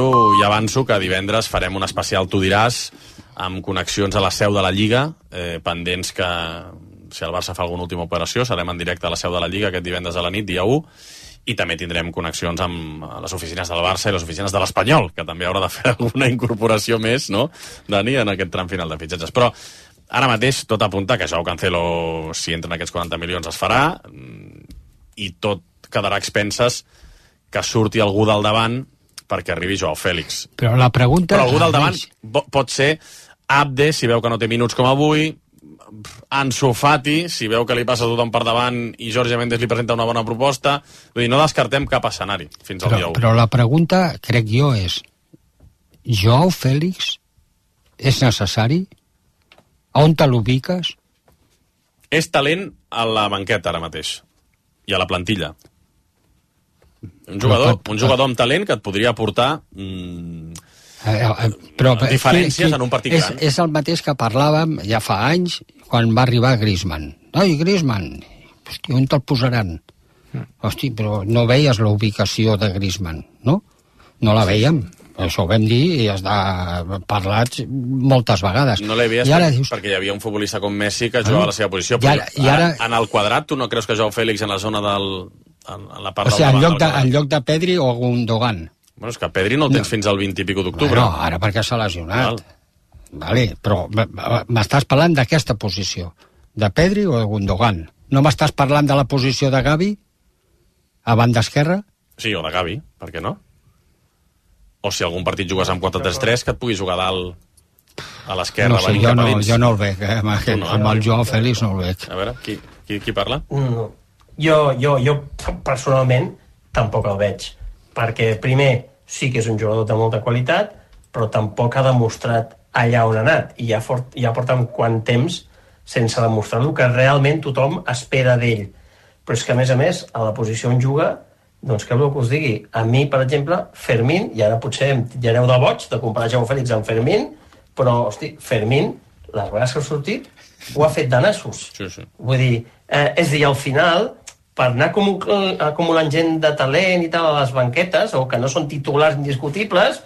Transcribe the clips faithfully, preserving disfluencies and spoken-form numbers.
I avanço que divendres farem un especial Tu diràs, amb connexions a la seu de la Lliga, eh, pendents que, si el Barça fa alguna última operació, serem en directe a la seu de la Lliga aquest divendres a la nit, dia u, i també tindrem connexions amb les oficines del Barça i les oficines de l'Espanyol, que també haurà de fer alguna incorporació més, no, Dani, en aquest tram final de fitxatges. Però ara mateix tot apunta que Joao Cancelo, si entren aquests quaranta milions, es farà, i tot quedarà a expenses que surti algú del davant perquè arribi Joao Fèlix. Però la pregunta... Però algú del davant pot ser Abde, si veu que no té minuts com avui, Ansu Fati, si veu que li passa tothom per davant i Jorge Méndez li presenta una bona proposta. Vull dir, no descartem cap escenari fins al però, dia u. Però la pregunta, crec jo, és Joao Fèlix és necessari? On te l'ubiques? És talent a la banqueta ara mateix i a la plantilla. Un jugador, un jugador amb talent que et podria aportar mmm, eh, eh, però, diferències qui, qui, en un partit és, gran. És el mateix que parlàvem ja fa anys quan va arribar Griezmann. Ai, Griezmann, hosti, on te'l posaran? Mm. Hosti, però no veies la ubicació de Griezmann, no? No la veiem. Això ho vam dir i has de parlat moltes vegades. No l'havies per, dius... perquè hi havia un futbolista com Messi que jugava ah, a la seva posició. I ara, i ara... En el quadrat, tu no creus que Joao Fèlix en la zona del... En, en la part o sigui, del en lloc, de, del en lloc de Pedri o Gundogan. Bueno, és que Pedri no el tens no. fins al vint i pico d'octubre. Bueno, ara perquè s'ha lesionat. Val. Vale, però m'estàs parlant d'aquesta posició, de Pedri o de Gundogan. No m'estàs parlant de la posició de Gavi a banda esquerra? Sí, o de Gavi, per què no? O si algun partit jugues amb quatre tres tres, que et pugui jugar dalt a l'esquerra. No sé, jo no, jo no el veig, eh? amb, aquest, no, amb el Joao Fèlix no el veig. A veure, qui, qui, qui parla? No. Jo, jo, jo personalment tampoc el veig, perquè primer sí que és un jugador de molta qualitat, però tampoc ha demostrat allà on ha anat, i ja, fort, ja porta un quant temps sense demostrar el que realment tothom espera d'ell. Però és que, a més a més, a la posició on juga, doncs què voleu que us digui? A mi, per exemple, Fermín, i ara potser ja aneu de boig de comparar Joao Fèlix amb Fermín, però, hosti, Fermín, les vegades que ha sortit, ho ha fet de nassos. Sí, sí. Vull dir, eh, és a dir, al final, per anar acumulant gent de talent i tal a les banquetes, o que no són titulars indiscutibles,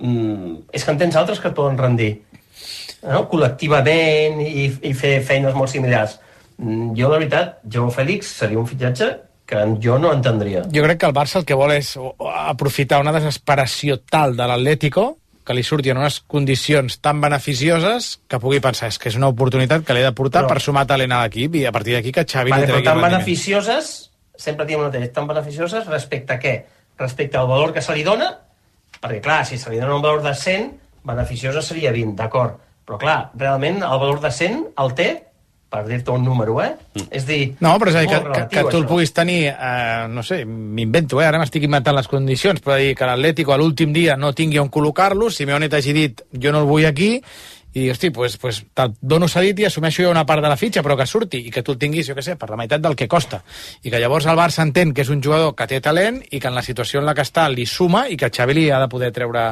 mm, és que en tens altres que et poden rendir, no? Col·lectivament i, i fer feines molt similars. Mm, jo, la veritat, Joao Fèlix seria un fitxatge que jo no entendria. Jo crec que el Barça el que vol és aprofitar una desesperació tal de l'Atlético que li surti en unes condicions tan beneficioses que pugui pensar, és que és una oportunitat que l'he de portar però, per sumar talent a l'equip i a partir d'aquí que Xavi vale, li tregui però tan rendiment. beneficioses, sempre diem el mateix, tan beneficioses respecte a què? Respecte al valor que se li dona, perquè clar, si se li dona un valor de cent, beneficiosa seria vint, d'acord, però clar, realment el valor de cent el té, per dir-te un número, eh? Mm. És dir... No, però és a dir, que, relatiu, que, que tu el puguis tenir, eh, no sé, m'invento, eh? Ara m'estic inventant les condicions, però dir que l'Atlético a l'últim dia no tingui on col·locar-lo, Simeone t'hagi dit jo no el vull aquí, i hosti, pues, pues, te'l dono cedit i assumeixo jo una part de la fitxa, però que surti, i que tu el tinguis, jo què sé, per la meitat del que costa. I que llavors el Barça entén que és un jugador que té talent i que en la situació en la que està li suma i que Xavi li ha de poder treure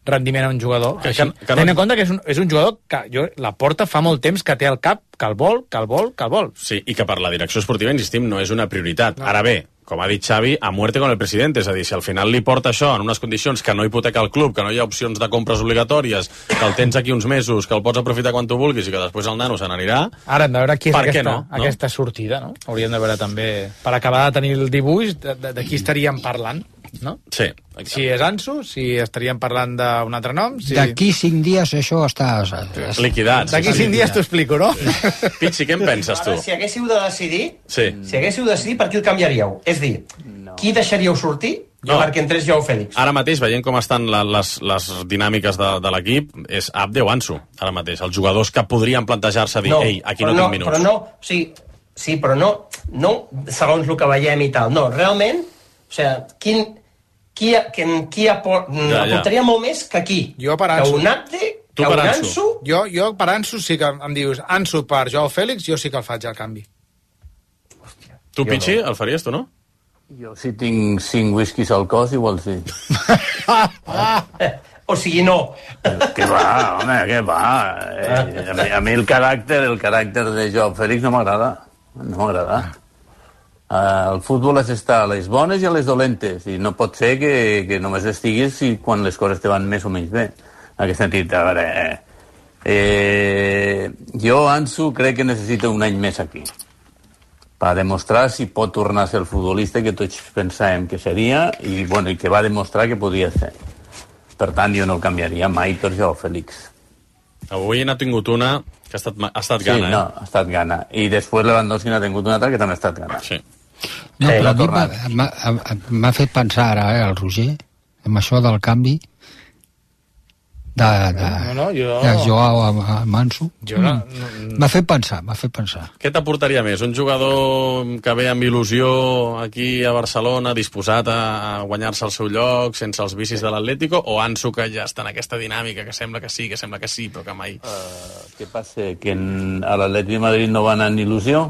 rendiment a un jugador. Que, Així, que, que no... Tenint en compte que és un, és un jugador que jo, la porta fa molt temps que té al cap que el vol, que el vol, que el vol. Sí, i que per la direcció esportiva, insistim, no és una prioritat. No. Ara bé, com ha dit Xavi, a muerte con el presidente, és a dir, si al final li porta això en unes condicions que no hipoteca el club, que no hi ha opcions de compres obligatòries, que el tens aquí uns mesos, que el pots aprofitar quan tu vulguis i que després el nano se n'anirà... Ara hem de veure qui és aquesta, no? No? aquesta sortida, no? Hauríem de veure també, per acabar de tenir el dibuix, de, de, de qui estaríem parlant, no? Sí. Exacte. Si és Ansu, si estaríem parlant d'un altre nom... Si... D'aquí cinc dies això està... Liquidat. D'aquí cinc dies t'ho explico, no? Pitxi, què en penses tu? Ara, si haguéssiu de decidir, sí. si haguéssiu de decidir, per qui el canviaríeu? És dir, no. Qui deixaríeu sortir no. perquè entrés Joao Fèlix? Ara mateix, veient com estan la, les, les dinàmiques de, de l'equip, és Abde o Ansu, ara mateix. Els jugadors que podrien plantejar-se dir, no, ei, aquí no, no tinc minuts. Però no, o sigui, sí, però no, no segons el que veiem i tal. No, realment, o sigui, quin... Qui, qui, qui apor... ja, ja. aportaria molt més que aquí. Jo per Ansu. Que un Abde, que un Ansu. Ansu. Jo, jo per Ansu sí que em dius Ansu per Joao Fèlix, jo sí que el faig al canvi. Hòstia, tu, Pichi, no. El faries tu, no? Jo si tinc cinc whiskies al cos, igual sí. O sigui, no. Què va, home, què va? Eh, a, mi, a mi el caràcter, el caràcter de Joao Fèlix no m'agrada. No m'agrada. Uh, el futbol és estar a les bones i a les dolentes, i no pot ser que, que només estiguis si, quan les coses te van més o menys bé. En aquest sentit, a veure, eh, eh, jo, Ansu, crec que necessita un any més aquí per demostrar si pot tornar a ser el futbolista que tots pensàvem que seria i, bueno, i que va demostrar que podia ser. Per tant, jo no el canviaria mai per Joao Félix. Avui n'ha tingut una que ha estat, ha estat sí, gana, eh? no, ha estat gana. I després Lewandowski n'ha tingut una altra que també ha estat gana. Sí. No, Eh, però a mi l'ha m'ha- m'ha m'ha fet pensar ara, eh, el Roger, amb això del canvi de, de, No, no, jo... de Joao a, a Manso. Jo no- Mm. M'ha fet pensar, m'ha fet pensar. Què t'aportaria més? Un jugador que ve amb il·lusió aquí a Barcelona, disposat a guanyar-se el seu lloc, sense els vicis de l'Atlético, o Ansu, que ja està en aquesta dinàmica, que sembla que sí, que sembla que sí, però que mai... Uh, què passa? Que en, a l'Atlètic de Madrid no va anar en il·lusió?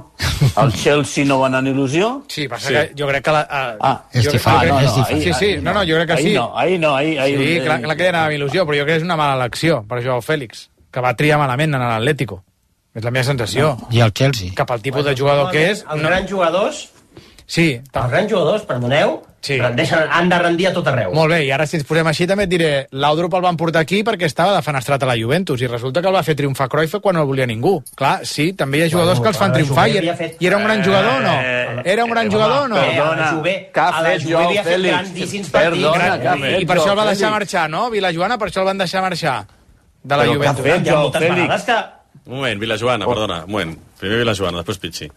Al Chelsea no va anar en il·lusió? Sí, passa Sí. que jo crec que... La, a, Ah, és jo, diferent, jo crec- és diferent. Sí, sí, no, no, jo crec que ahí sí. No, ahí no, ahí... ahí Sí, clar, clar que hi anava amb il·lusió, però jo crec que és una mala elecció per Joao Félix, que va triar malament en l'Atlético. És la meva sensació. I el Chelsea. Cap al tipus de jugador que és... Els grans jugadors, Sí, els tam- grans jugadors, perdoneu, Sí. rendeixen, han de rendir a tot arreu. molt bé, i ara si ens posem així també et diré Laudrup el van portar aquí perquè estava defenestrat a la Juventus i resulta que el va fer triomfar Cruyff quan no el volia ningú. Clar, sí, també hi ha jugadors Bueno, que els fan a la triomfar i, Juve havia fet- i era un gran jugador o no? Eh, Era un gran eh, jugador o no? home, Perdona, a la Juve, què ha a la fet Juve Joao havia fet Félix? grandíssims Perdona, partits. què ha I, fet I per això el va Joao deixar Félix? marxar, no? Vilajoana, per això el van deixar marxar de la Però què ha Juventus. fet? Hi ha Joao moltes Félix. vegades que... Un moment, Vilajoana, perdona, un moment. Primer Vilajoana, després Pichi.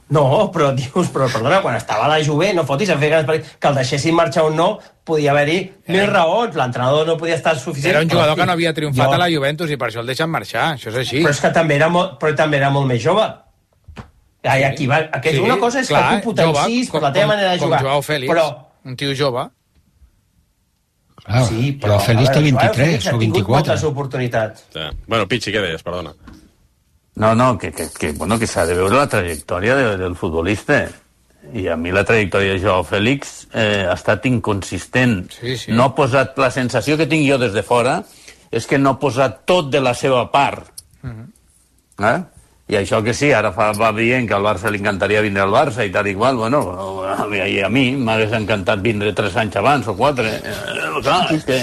No, però dius, però perdona, quan estava a la Juve, no fotis a fer grans partits, que el deixessin marxar o no, podia haver-hi mil raons, l'entrenador no podia estar suficient. Era un jugador Però, que no havia triomfat jo- a la Juventus i per això el deixen marxar, això és així. Però és que també era molt, però també era molt més jove. Ai, aquí va, aquest, Sí, una cosa és clar, que tu potencis jove, per la teva manera de com jugar. Joao Félix, Però, un tio jove. Clar, sí, però, però Félix a té veure, Joao vint-i-tres Félix ha o tingut vint-i-quatre. moltes oportunitats. Ja. Bueno, Pichi, què deies? Perdona. No, no, que, que, que, bueno, que s'ha de veure la trajectòria de, del futbolista. I a mi la trajectòria de Joao Félix eh, ha estat inconsistent. Sí, sí. No ha posat... La sensació que tinc jo des de fora és que no ha posat tot de la seva part. Uh -huh. eh? I això que sí, ara fa, va dient que al Barça li encantaria vindre al Barça i tal i qual, bueno, a mi, a mi m'hagués encantat vindre tres anys abans o quatre. Eh, clar, és que...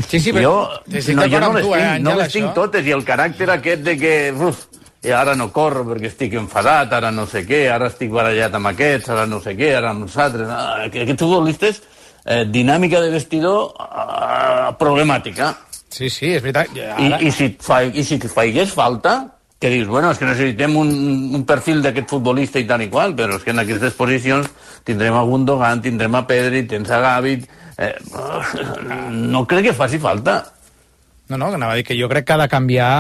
Sí, sí, però jo, estic no, jo d'acord no amb les tu, eh, tinc, no Àngel, les tinc això. totes, i el caràcter aquest de que... Uf, i ara no corro perquè estic enfadat, ara no sé què, ara estic barallat amb aquests, ara no sé què, ara amb els altres... Ah, aquests futbolistes, eh, dinàmica de vestidor eh, problemàtica. Sí, sí, és veritat. I, Ara... i, si et fa, I si et faigués falta, que dius, bueno, és que necessitem un, un perfil d'aquest futbolista i tal i qual, però és que en aquestes posicions tindrem a Gundogan, tindrem a Pedri, tens a Gavi... Eh, no crec que faci falta. No, no, anava a dir que jo crec que ha de canviar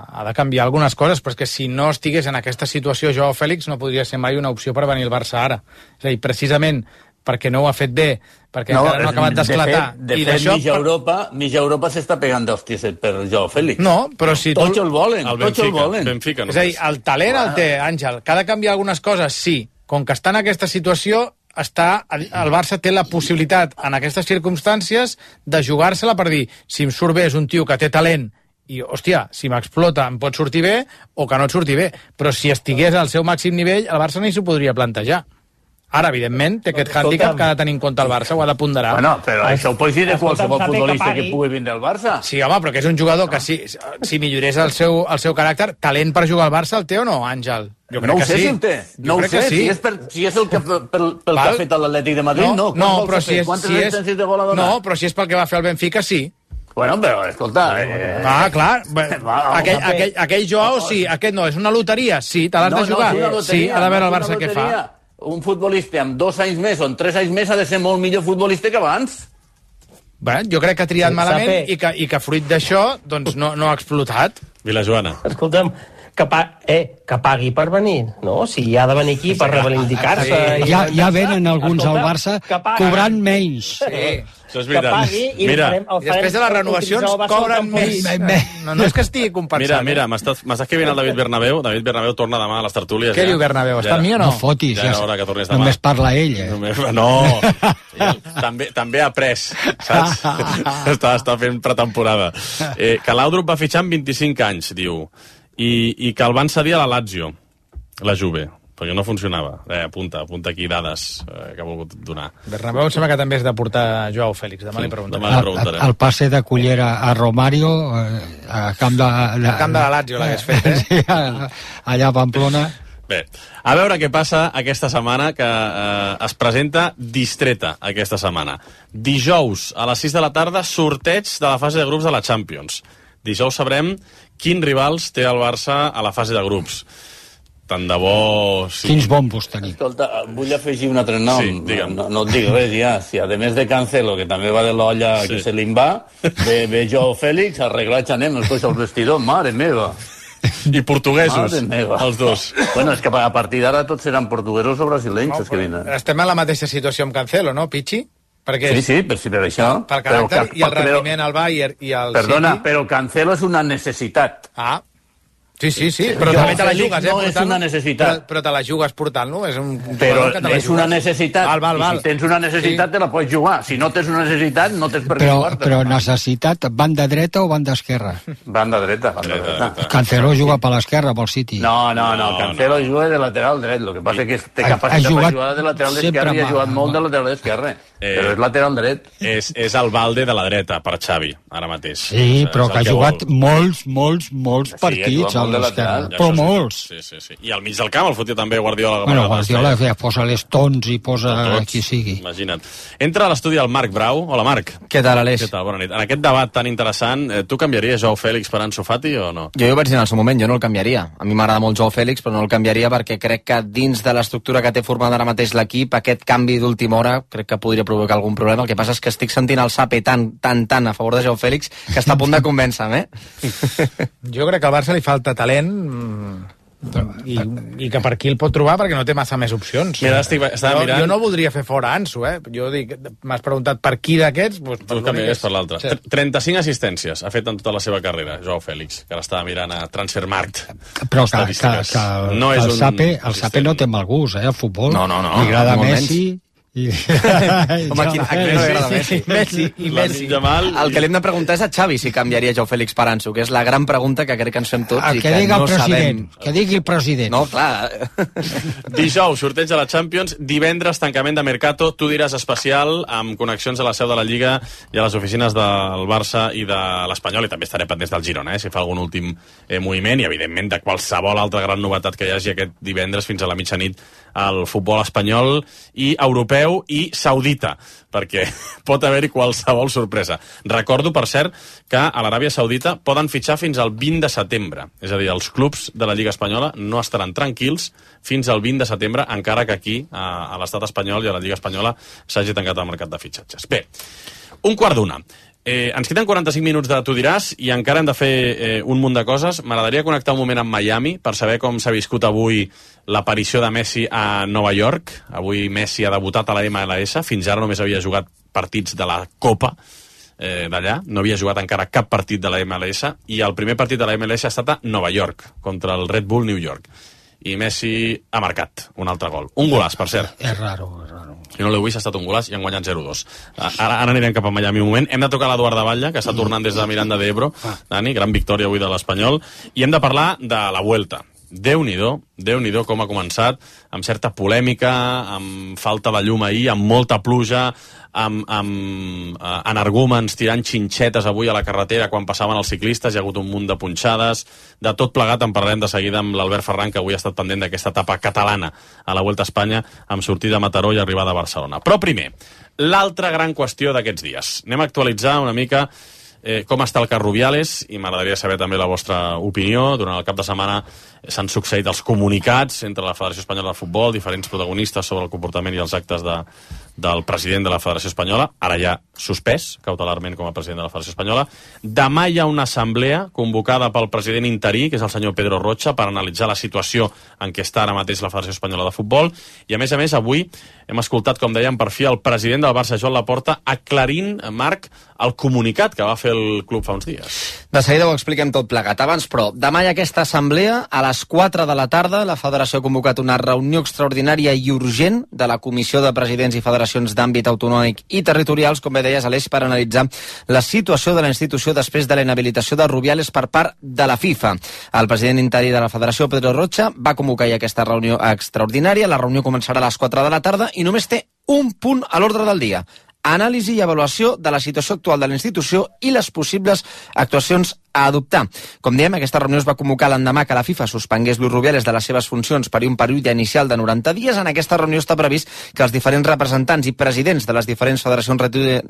ha de canviar algunes coses, però és que si no estigués en aquesta situació Joao Félix no podria ser mai una opció per venir al Barça ara. És a dir, precisament perquè no ho ha fet bé, perquè no, encara no ha acabat d'esclatar. De fet, de fet mitja Europa, mitja Europa s'està pegant d'hòsties per Joao Félix. No, però si tu... Tots el volen, El tots el Benfica, volen. Benfica És a dir, només. el talent el té, Àngel. Que ha de canviar algunes coses, sí. Com que està en aquesta situació, està, el Barça té la possibilitat, en aquestes circumstàncies, de jugar-se-la per dir, si em surt bé és un tio que té talent i, hòstia, si m'explota em pot sortir bé o que no et surti bé. Però si estigués al seu màxim nivell, el Barça ni s'ho podria plantejar. Ara, evidentment, té aquest hàndicap que ha de tenir en compte el Barça, ho ha de ponderar. Bueno, però això ho pots dir de Escolta'm, qualsevol Sape, que futbolista pagui. que pugui vindre al Barça. Sí, home, però que és un jugador que si, si millorés el seu, el seu caràcter, talent per jugar al Barça el té o no, Àngel? Jo crec No ho que sé sí. si el té. Jo No ho crec sé. que sí. Si és, per, si és el que, pel, pel que Val. ha fet l'Atlètic de Madrid, no. No, Quants no, gols però ha si fet? és, Quantes si és, assistències de gol ha donat? no, però si és pel que va fer el Benfica, sí. Bueno, però, escolta... Eh, Ah, clar. Bé, Va, aquell, Sape. aquell, aquell Joao, sí. Aquest no, és una loteria. Sí, te l'has no, de jugar. No, és una loteria, sí, ha de veure el no és Barça una què fa. loteria. Un futbolista amb dos anys més o amb tres anys més ha de ser molt millor futbolista que abans. Bé, jo crec que ha triat Sí, malament Sape. i que, i que fruit d'això doncs no, no ha explotat. Vilajoana. Escolta'm, que, pa eh, que pagui per venir, no? Si ha de venir aquí per reivindicar-se... i- Ja, ja venen alguns al Escolta, Barça que pagui. cobrant menys. Sí. Això és Que veritat. pagui i Mira, farem, el I després de les renovacions cobren més. No, no és que estigui compensant. mira, eh? mira, m'estàs m'estàs escrivint el David Bernabéu. David Bernabéu torna demà a les tertúlies. Què ja. diu Bernabéu? Està Ja amb mi o era- no? No fotis, Ja ja, era hora que tornis demà. només parla ell. Eh? Només, no, ell també, també ha après, saps? està, està fent pretemporada. Eh, que l'Audrup va fitxar amb vint-i-cinc anys, diu, i, i que el van cedir a la Lazio, la Juve. perquè no funcionava. Eh, apunta, apunta aquí dades eh, que ha volgut donar. Bernabéu em sembla que també és de portar Joao Fèlix, demà Sí, li preguntaré. demà li preguntarem. El, el passe de Cullera a Romario, eh, a camp de... de El camp de la Lazio l'hagués fet, eh? Sí, a- allà a Pamplona. Bé, a veure què passa aquesta setmana, que eh, es presenta distreta aquesta setmana. Dijous, a les sis de la tarda, sorteig de la fase de grups de la Champions. Dijous sabrem quins rivals té el Barça a la fase de grups. Tant de bo... Sí. Quins bombos tenim. Escolta, vull afegir un altre nom. Sí, digue'm. no, no et dic res ja. Si a més de Cancelo, que també va de l'olla Sí. que se li'n va, ve, ve Joao Fèlix, arreglat anem, els coix al vestidor, mare meva. I portuguesos, Mare meva. els dos. Bueno, és que a partir d'ara tots seran portuguesos o brasilenys, No, els que vinen. estem en la mateixa situació amb Cancelo, no, Pichi? Perquè Sí, sí, per, sí, per això. pel caràcter Però, i el però- rendiment al Bayern i al Perdona, City... però Cancelo és una necessitat. Ah, sí, sí, sí, però Jo, també te la Fèlix, jugues, eh? no és portant-lo. una necessitat. Però, però te la jugues portant-lo, és un Però jugador que te la és una jugues. necessitat. Val, val, val. I si tens una necessitat, Sí. te la pots jugar. Si no tens una necessitat, no tens per què Però, jugar-te. però necessitat, banda dreta o banda esquerra? Banda dreta, banda Dreta, dreta. dreta. Cancelo juga per l'esquerra, pel City. No, no, no, No, Cancelo juga de lateral dret. El que passa és que té Ha- ha capacitat jugat per jugar de lateral sempre esquerre i ha amb- jugat molt de lateral esquerre. Eh. Però és lateral dret. És, és el balde de la dreta per Xavi, ara mateix. Sí, És- però és que ha el jugat vol. molts, molts, molts ha partits jugat a molt de l'esquerra. lateral. Ja, Però això sí. molts. Sí, sí, sí. I al mig del camp el fotia també Guardiola. Bueno, a vegades Guardiola feia. feia, posa les tons i posa Tots. qui sigui. Imagina't. Entra a l'estudi el Marc Brau. Hola, Marc. Què tal, Aleix? Què tal? Bona nit. En aquest debat tan interessant, eh, tu canviaries Joao Fèlix per Ansu Fati o no? Jo ja ho vaig dir en el seu moment, jo no el canviaria. A mi m'agrada molt Joao Fèlix, però no el canviaria perquè crec que dins de l'estructura que té formada ara mateix l'equip, aquest canvi d'última hora crec que podria provocar algun problema. El que passa és que estic sentint el Sape tan, tan, tan a favor de Joao Fèlix que està a punt de convèncer-me, eh? Jo crec que al Barça li falta talent mm, i, i que per aquí el pot trobar perquè no té massa més opcions. Mira, estic, estava jo, mirant... jo no voldria fer fora Ansu, eh? Jo dic, m'has preguntat per qui d'aquests... Doncs Tu per canviaries l'únic per l'altre. Sí. Sí. trenta-cinc assistències ha fet en tota la seva carrera, Joao Fèlix, que ara estava mirant a Transfermarkt. Però que, que, Estadístiques. que, no que és el, un Sape, el assistent. Sape no té mal gust, eh, el futbol. No, no, no, Li agrada molt Messi... I... Home, a qui, a qui no li agrada Messi? Messi i Messi. Jamal... El que li hem de preguntar és a Xavi si canviaria Joao Fèlix per Ansu, que és la gran pregunta que crec que ens fem tots El i que que digui no el president, sabem. que digui el president. No, clar. Dijous, sorteig de la Champions. Divendres, tancament de Mercato. Tu diràs especial, amb connexions a la seu de la Lliga i a les oficines del Barça i de l'Espanyol, i també estaré pendents del Girona, eh, si fa algun últim eh, moviment, i evidentment de qualsevol altra gran novetat que hi hagi aquest divendres fins a la mitjanit al futbol espanyol i europeu i saudita, perquè pot haver-hi qualsevol sorpresa. Recordo, per cert, que a l'Aràbia Saudita poden fitxar fins al vint de setembre. És a dir, els clubs de la Lliga Espanyola no estaran tranquils fins al vint de setembre, encara que aquí, a, a l'estat espanyol i a la Lliga Espanyola, s'hagi tancat el mercat de fitxatges. Bé, un quart d'una. Eh, ens queden quaranta-cinc minuts de Tu diràs i encara hem de fer eh, un munt de coses. M'agradaria connectar un moment amb Miami per saber com s'ha viscut avui l'aparició de Messi a Nova York. Avui Messi ha debutat a la M L S. Fins ara només havia jugat partits de la Copa eh, d'allà. No havia jugat encara cap partit de la M L S i el primer partit de la M L S ha estat a Nova York, contra el Red Bull New York. I Messi ha marcat un altre gol. Un golaç, per cert. És raro, és raro. Si no l'heu vist, ha estat un golaç i han guanyat zero dos. Ara, ara anirem cap a Miami un moment. Hem de tocar l'Eduard de Batlle, que està tornant des de Miranda de Ebro. Dani, gran victòria avui de l'Espanyol. I hem de parlar de la Vuelta. Déu-n'hi-do, Déu-n'hi-do com ha començat, amb certa polèmica, amb falta de llum ahir, amb molta pluja, amb, amb eh, energúmens tirant xinxetes avui a la carretera quan passaven els ciclistes, hi ha hagut un munt de punxades, de tot plegat en parlarem de seguida amb l'Albert Ferran, que avui ha estat pendent d'aquesta etapa catalana a la Vuelta a Espanya, amb sortida a Mataró i arribada a Barcelona. Però primer, l'altra gran qüestió d'aquests dies. Anem a actualitzar una mica eh, com està el cas Rubiales, i m'agradaria saber també la vostra opinió. Durant el cap de setmana s'han succeït els comunicats entre la Federació Espanyola de Futbol, diferents protagonistes sobre el comportament i els actes de, del president de la Federació Espanyola, ara ja suspès cautelarment com a president de la Federació Espanyola. Demà hi ha una assemblea convocada pel president interí, que és el senyor Pedro Rocha, per analitzar la situació en què està ara mateix la Federació Espanyola de Futbol, i a més a més avui hem escoltat, com dèiem, per fi el president del Barça, Joan Laporta, aclarint, Marc, el comunicat que va fer el club fa uns dies. De seguida ho expliquem tot plegat. Abans, però, demà hi ha aquesta assemblea. A les quatre de la tarda, la Federació ha convocat una reunió extraordinària i urgent de la Comissió de Presidents i Federacions d'Àmbit Autonòmic i Territorials, com bé deies, Aleix, per analitzar la situació de la institució després de la inhabilitació de Rubiales per part de la FIFA. El president interí de la Federació, Pedro Rocha, va convocar ja aquesta reunió extraordinària. La reunió començarà a les quatre de la tarda i només té un punt a l'ordre del dia: anàlisi i avaluació de la situació actual de la institució i les possibles actuacions a adoptar. Com diem, aquesta reunió es va convocar l'endemà que la FIFA suspengués Luis Rubiales de les seves funcions per un període inicial de noranta dies. En aquesta reunió està previst que els diferents representants i presidents de les diferents federacions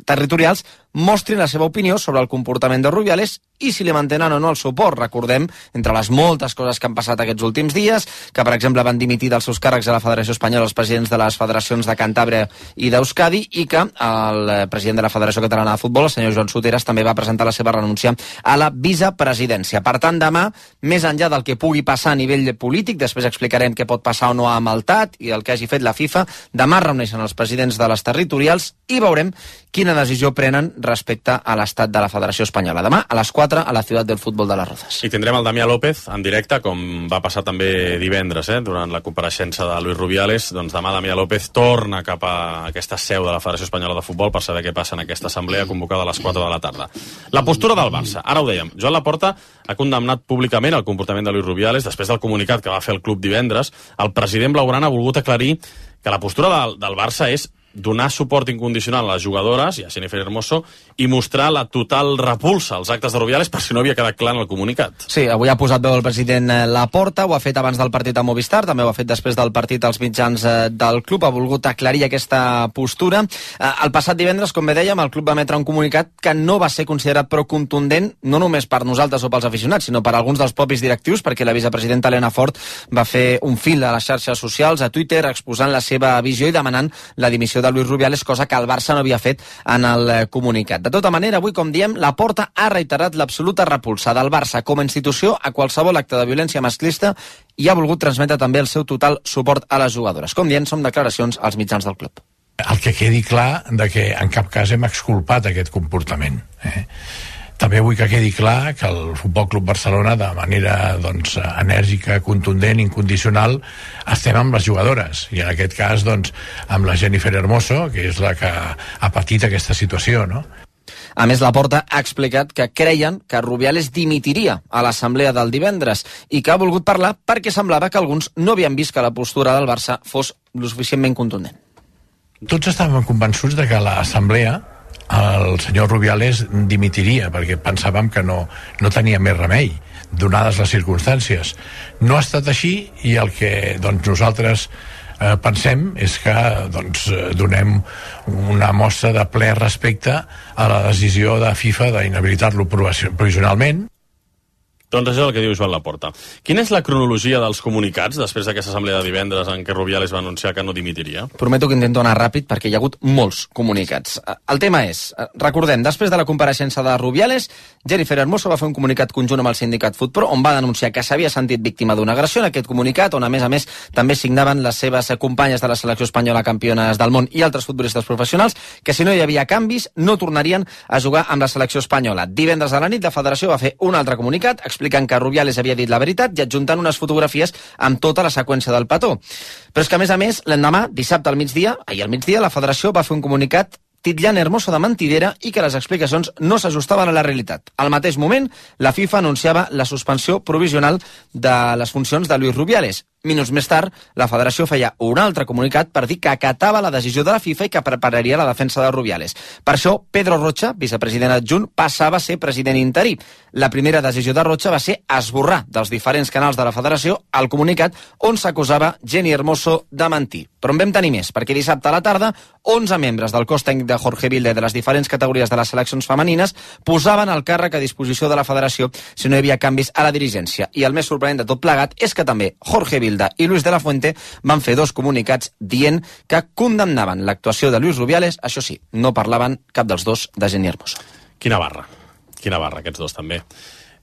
territorials mostrin la seva opinió sobre el comportament de Rubiales i si li mantenen o no el suport. Recordem, entre les moltes coses que han passat aquests últims dies, que per exemple van dimitir dels seus càrrecs a la Federació Espanyola els presidents de les federacions de Cantàbria i d'Euskadi, i que el president de la Federació Catalana de Futbol, el senyor Joan Soteras, també va presentar la seva renúncia a la vicepresidència. Per tant, demà, més enllà del que pugui passar a nivell polític, després explicarem què pot passar o no amb el T A T i el que hagi fet la FIFA, demà reuneixen els presidents de les territorials i veurem quina decisió prenen respecte a l'estat de la Federació Espanyola. Demà, a les quatre, a la Ciutat del Futbol de les Rozas. I tindrem el Damià López en directe, com va passar també divendres, eh, durant la compareixença de Luis Rubiales. Doncs demà Damià López torna cap a aquesta seu de la Federació Espanyola de Futbol per saber què passa en aquesta assemblea convocada a les quatre de la tarda. La postura del Barça. Ara ho dèiem, Joan Laporta ha condemnat públicament el comportament de Luis Rubiales després del comunicat que va fer el club divendres. El president blaugrana ha volgut aclarir que la postura del, del Barça és donar suport incondicional a les jugadores i a Jennifer Hermoso i mostrar la total repulsa als actes de Rubiales, per si no havia quedat clar en el comunicat. Sí, avui ha posat veu el president Laporta, ho ha fet abans del partit a Movistar, també ho ha fet després del partit als mitjans del club, ha volgut aclarir aquesta postura. El passat divendres, com bé dèiem, el club va emetre un comunicat que no va ser considerat prou contundent, no només per nosaltres o pels aficionats, sinó per alguns dels propis directius, perquè la vicepresidenta Elena Fort va fer un fil a les xarxes socials, a Twitter, exposant la seva visió i demanant la dimissió de de Luis Rubiales, cosa que el Barça no havia fet en el comunicat. De tota manera, avui, com diem, Laporta ha reiterat l'absoluta repulsa del Barça com a institució a qualsevol acte de violència masclista i ha volgut transmetre també el seu total suport a les jugadores. Com diem, són declaracions als mitjans del club. El que quedi clar de que en cap cas hem exculpat aquest comportament. Eh? També vull que quedi clar que el Futbol Club Barcelona, de manera doncs, enèrgica, contundent, incondicional, estem amb les jugadores, i en aquest cas doncs, amb la Jennifer Hermoso, que és la que ha patit aquesta situació, no? A més, Laporta ha explicat que creien que Rubiales dimitiria a l'assemblea del divendres i que ha volgut parlar perquè semblava que alguns no havien vist que la postura del Barça fos lo suficientment contundent. Tots estàvem convençuts de que a l'assemblea el senyor Rubiales dimitiria, perquè pensàvem que no, no tenia més remei, donades les circumstàncies. No ha estat així, i el que doncs, nosaltres eh, pensem és que doncs, donem una mostra de ple respecte a la decisió de FIFA d'inhabilitar-lo provisionalment. Doncs això és el que diu Joan Laporta. Quina és la cronologia dels comunicats després d'aquesta assemblea de divendres en què Rubiales va anunciar que no dimitiria? Prometo que intento anar ràpid perquè hi ha hagut molts comunicats. El tema és, recordem, després de la compareixença de Rubiales, Jennifer Hermoso va fer un comunicat conjunt amb el sindicat FutPro on va denunciar que s'havia sentit víctima d'una agressió. En aquest comunicat, on a més a més també signaven les seves companyes de la selecció espanyola campiones del món i altres futbolistes professionals, que si no hi havia canvis no tornarien a jugar amb la selecció espanyola. Divendres a la nit la federació va fer un altre comunicat explicant que Rubiales havia dit la veritat i adjuntant unes fotografies amb tota la seqüència del petó. Però és que, a més a més, l'endemà, dissabte al migdia, ahir al migdia, la federació va fer un comunicat titllant Hermoso de mentidera i que les explicacions no s'ajustaven a la realitat. Al mateix moment, la FIFA anunciava la suspensió provisional de les funcions de Luis Rubiales. Minuts més tard, la federació feia un altre comunicat per dir que acatava la decisió de la FIFA i que prepararia la defensa de Rubiales. Per això, Pedro Rocha, vicepresident adjunt, passava a ser president interí. La primera decisió de Rocha va ser esborrar dels diferents canals de la federació el comunicat on s'acusava Jenny Hermoso de mentir. Però en vam tenir més, perquè dissabte a la tarda, onze membres del cos tècnic de Jorge Vilde de les diferents categories de les seleccions femenines posaven el càrrec a disposició de la federació si no hi havia canvis a la dirigència. I el més sorprenent de tot plegat és que també Jorge Vilde i Luis de la Fuente van fer dos comunicats dient que condemnaven l'actuació de Luis Rubiales, això sí, no parlaven cap dels dos de Jenny Hermoso. Quina barra, quina barra, aquests dos també.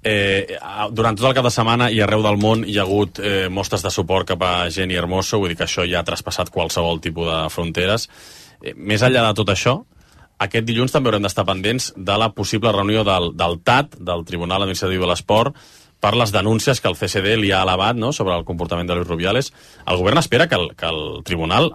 Eh, durant tot el cap de setmana i arreu del món hi ha hagut eh, mostres de suport cap a Jenny Hermoso, vull dir que això ja ha traspassat qualsevol tipus de fronteres. Eh, més enllà de tot això, aquest dilluns també haurem d'estar pendents de la possible reunió del, del T A T, del Tribunal Administratiu de l'Esport, per les denúncies que el C C D li ha elevat, no?, sobre el comportament de Luis Rubiales. El govern espera que el, que el tribunal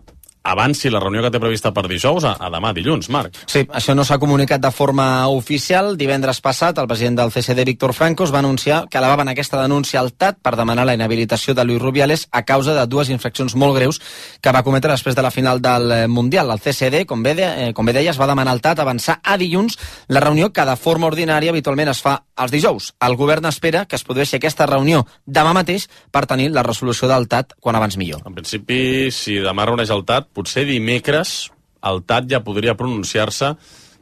avanci la reunió que té prevista per dijous a, a demà, dilluns, Marc. Sí, això no s'ha comunicat de forma oficial. Divendres passat, el president del C C D, Víctor Franco, es va anunciar que elevaven aquesta denúncia al T A T per demanar la inhabilitació de Luis Rubiales a causa de dues infraccions molt greus que va cometre després de la final del Mundial. El C C D, com bé, de, eh, com bé deia, es va demanar al T A T avançar a dilluns la reunió que de forma ordinària habitualment es fa els dijous. El govern espera que es produeixi aquesta reunió demà mateix per tenir la resolució del T A T quan abans millor. En principi, si demà reuneix el T A T, potser dimecres el T A T ja podria pronunciar-se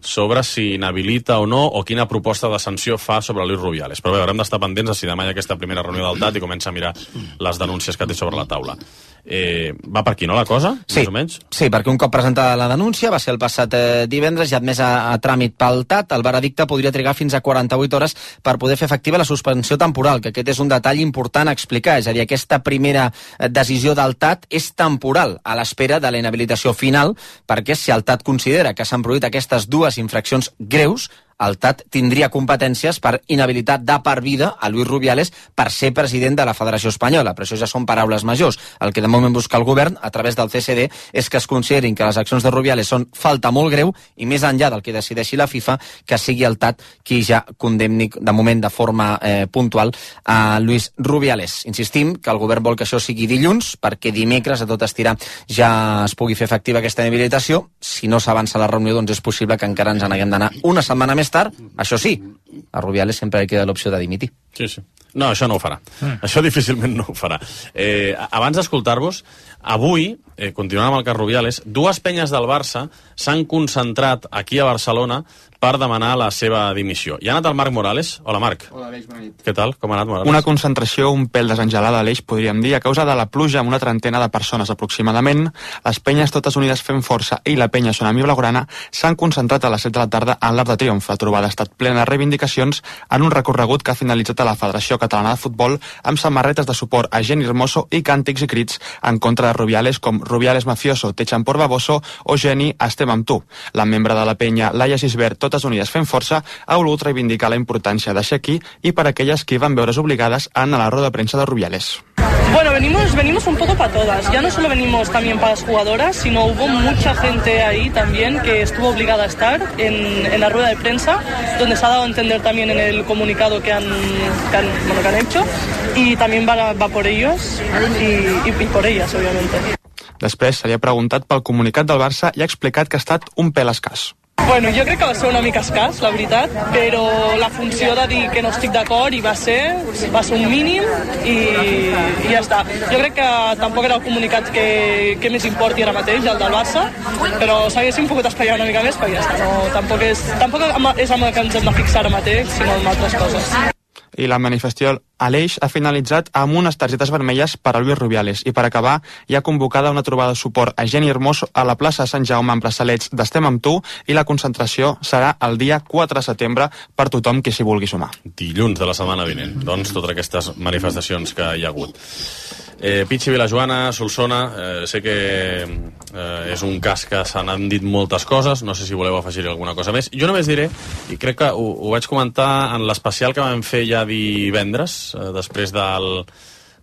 sobre si inhabilita o no o quina proposta de sanció fa sobre Luis Rubiales. Però bé, haurem d'estar pendents de si demà hi ha aquesta primera reunió del T A T i comença a mirar les denúncies que té sobre la taula. Eh, va per aquí, no, la cosa? Sí, més o menys? sí, perquè un cop presentada la denúncia, va ser el passat eh, divendres, ja admès a, a tràmit pel T A T, el veredicte podria trigar fins a quaranta-vuit hores per poder fer efectiva la suspensió temporal, que aquest és un detall important a explicar, és a dir, aquesta primera decisió del T A T és temporal, a l'espera de la inhabilitació final, perquè si el T A T considera que s'han produït aquestes dues infraccions greus, el T A T tindria competències per inhabilitar de per vida a Luis Rubiales per ser president de la Federació Espanyola, però això ja són paraules majors. El que de moment busca el govern, a través del C C D, és que es considerin que les accions de Rubiales són falta molt greu i més enllà del que decideixi la FIFA, que sigui el T A T qui ja condemni de moment de forma eh, puntual a Luis Rubiales. Insistim que el govern vol que això sigui dilluns, perquè dimecres, a tot estirar, ja es pugui fer efectiva aquesta inhabilitació. Si no s'avança la reunió, doncs és possible que encara ens n'haguem d'anar una setmana més tard. Això sí, a Rubiales sempre li queda l'opció de dimitir. Sí, sí. No, això no ho farà. Mm. Això difícilment no ho farà. Eh, abans d'escoltar-vos, avui, eh, continuant amb el cas Rubiales, dues penyes del Barça s'han concentrat aquí a Barcelona per demanar la seva dimissió. Hi ha anat el Marc Morales. Hola, Marc. Hola, Aleix, bona nit. Què tal? Com ha anat, Morales? Una concentració un pèl desengelada, Aleix, podríem dir, a causa de la pluja amb una trentena de persones aproximadament. Les penyes totes unides fent força i la penya Sonami Blaugrana s'han concentrat a les set de la tarda en l'Arc de Triomf. La trobada ha estat plena de reivindicacions en un recorregut que ha finalitzat a la Federació Catalana de Futbol amb samarretes de suport a Geni Hermoso i càntics i crits en contra de Rubiales com Rubiales mafioso, t'echan por baboso o Geni, estem amb tu. La membre de la penya, Laia Gisbert, totes unides fent força, ha volgut reivindicar la importància de ser aquí i per aquelles que hi van veure's obligades a anar a la roda de premsa de Rubiales. Bueno, venimos, venimos un poco para todas. Ya no solo venimos también para las jugadoras, sino hubo mucha gente ahí también que estuvo obligada a estar en, en la rueda de prensa, donde se ha dado a entender también en el comunicado que han, que han, bueno, que han hecho, y también va, va por ellos y, y, y por ellas, obviamente. Després se li ha preguntat pel comunicat del Barça i ha explicat que ha estat un pèl escàs. Bueno, jo crec que va ser una mica escàs, la veritat, però la funció de dir que no estic d'acord i va ser, va ser un mínim i, i ja està. Jo crec que tampoc era el comunicat que, que més importi ara mateix, el del Barça, però s'haguessin pogut espatllar una mica més, però ja està. No, tampoc és, tampoc és amb el que ens hem de fixar ara mateix, sinó en altres coses. I la manifestació a l'Eix ha finalitzat amb unes targetes vermelles per a Luis Rubiales i per acabar hi ha convocada una trobada de suport a Geni Hermoso a la plaça Sant Jaume amb braçalets d'Estem amb tu i la concentració serà el dia quatre de setembre per tothom que s'hi vulgui sumar. Dilluns de la setmana vinent, doncs, totes aquestes manifestacions que hi ha hagut. Eh, Pichi, Vilajoana, Solsona, eh, sé que eh, és un cas que se n'han dit moltes coses, no sé si voleu afegir alguna cosa més. Jo només diré, i crec que ho, ho vaig comentar en l'especial que vam fer ja divendres, eh, després del,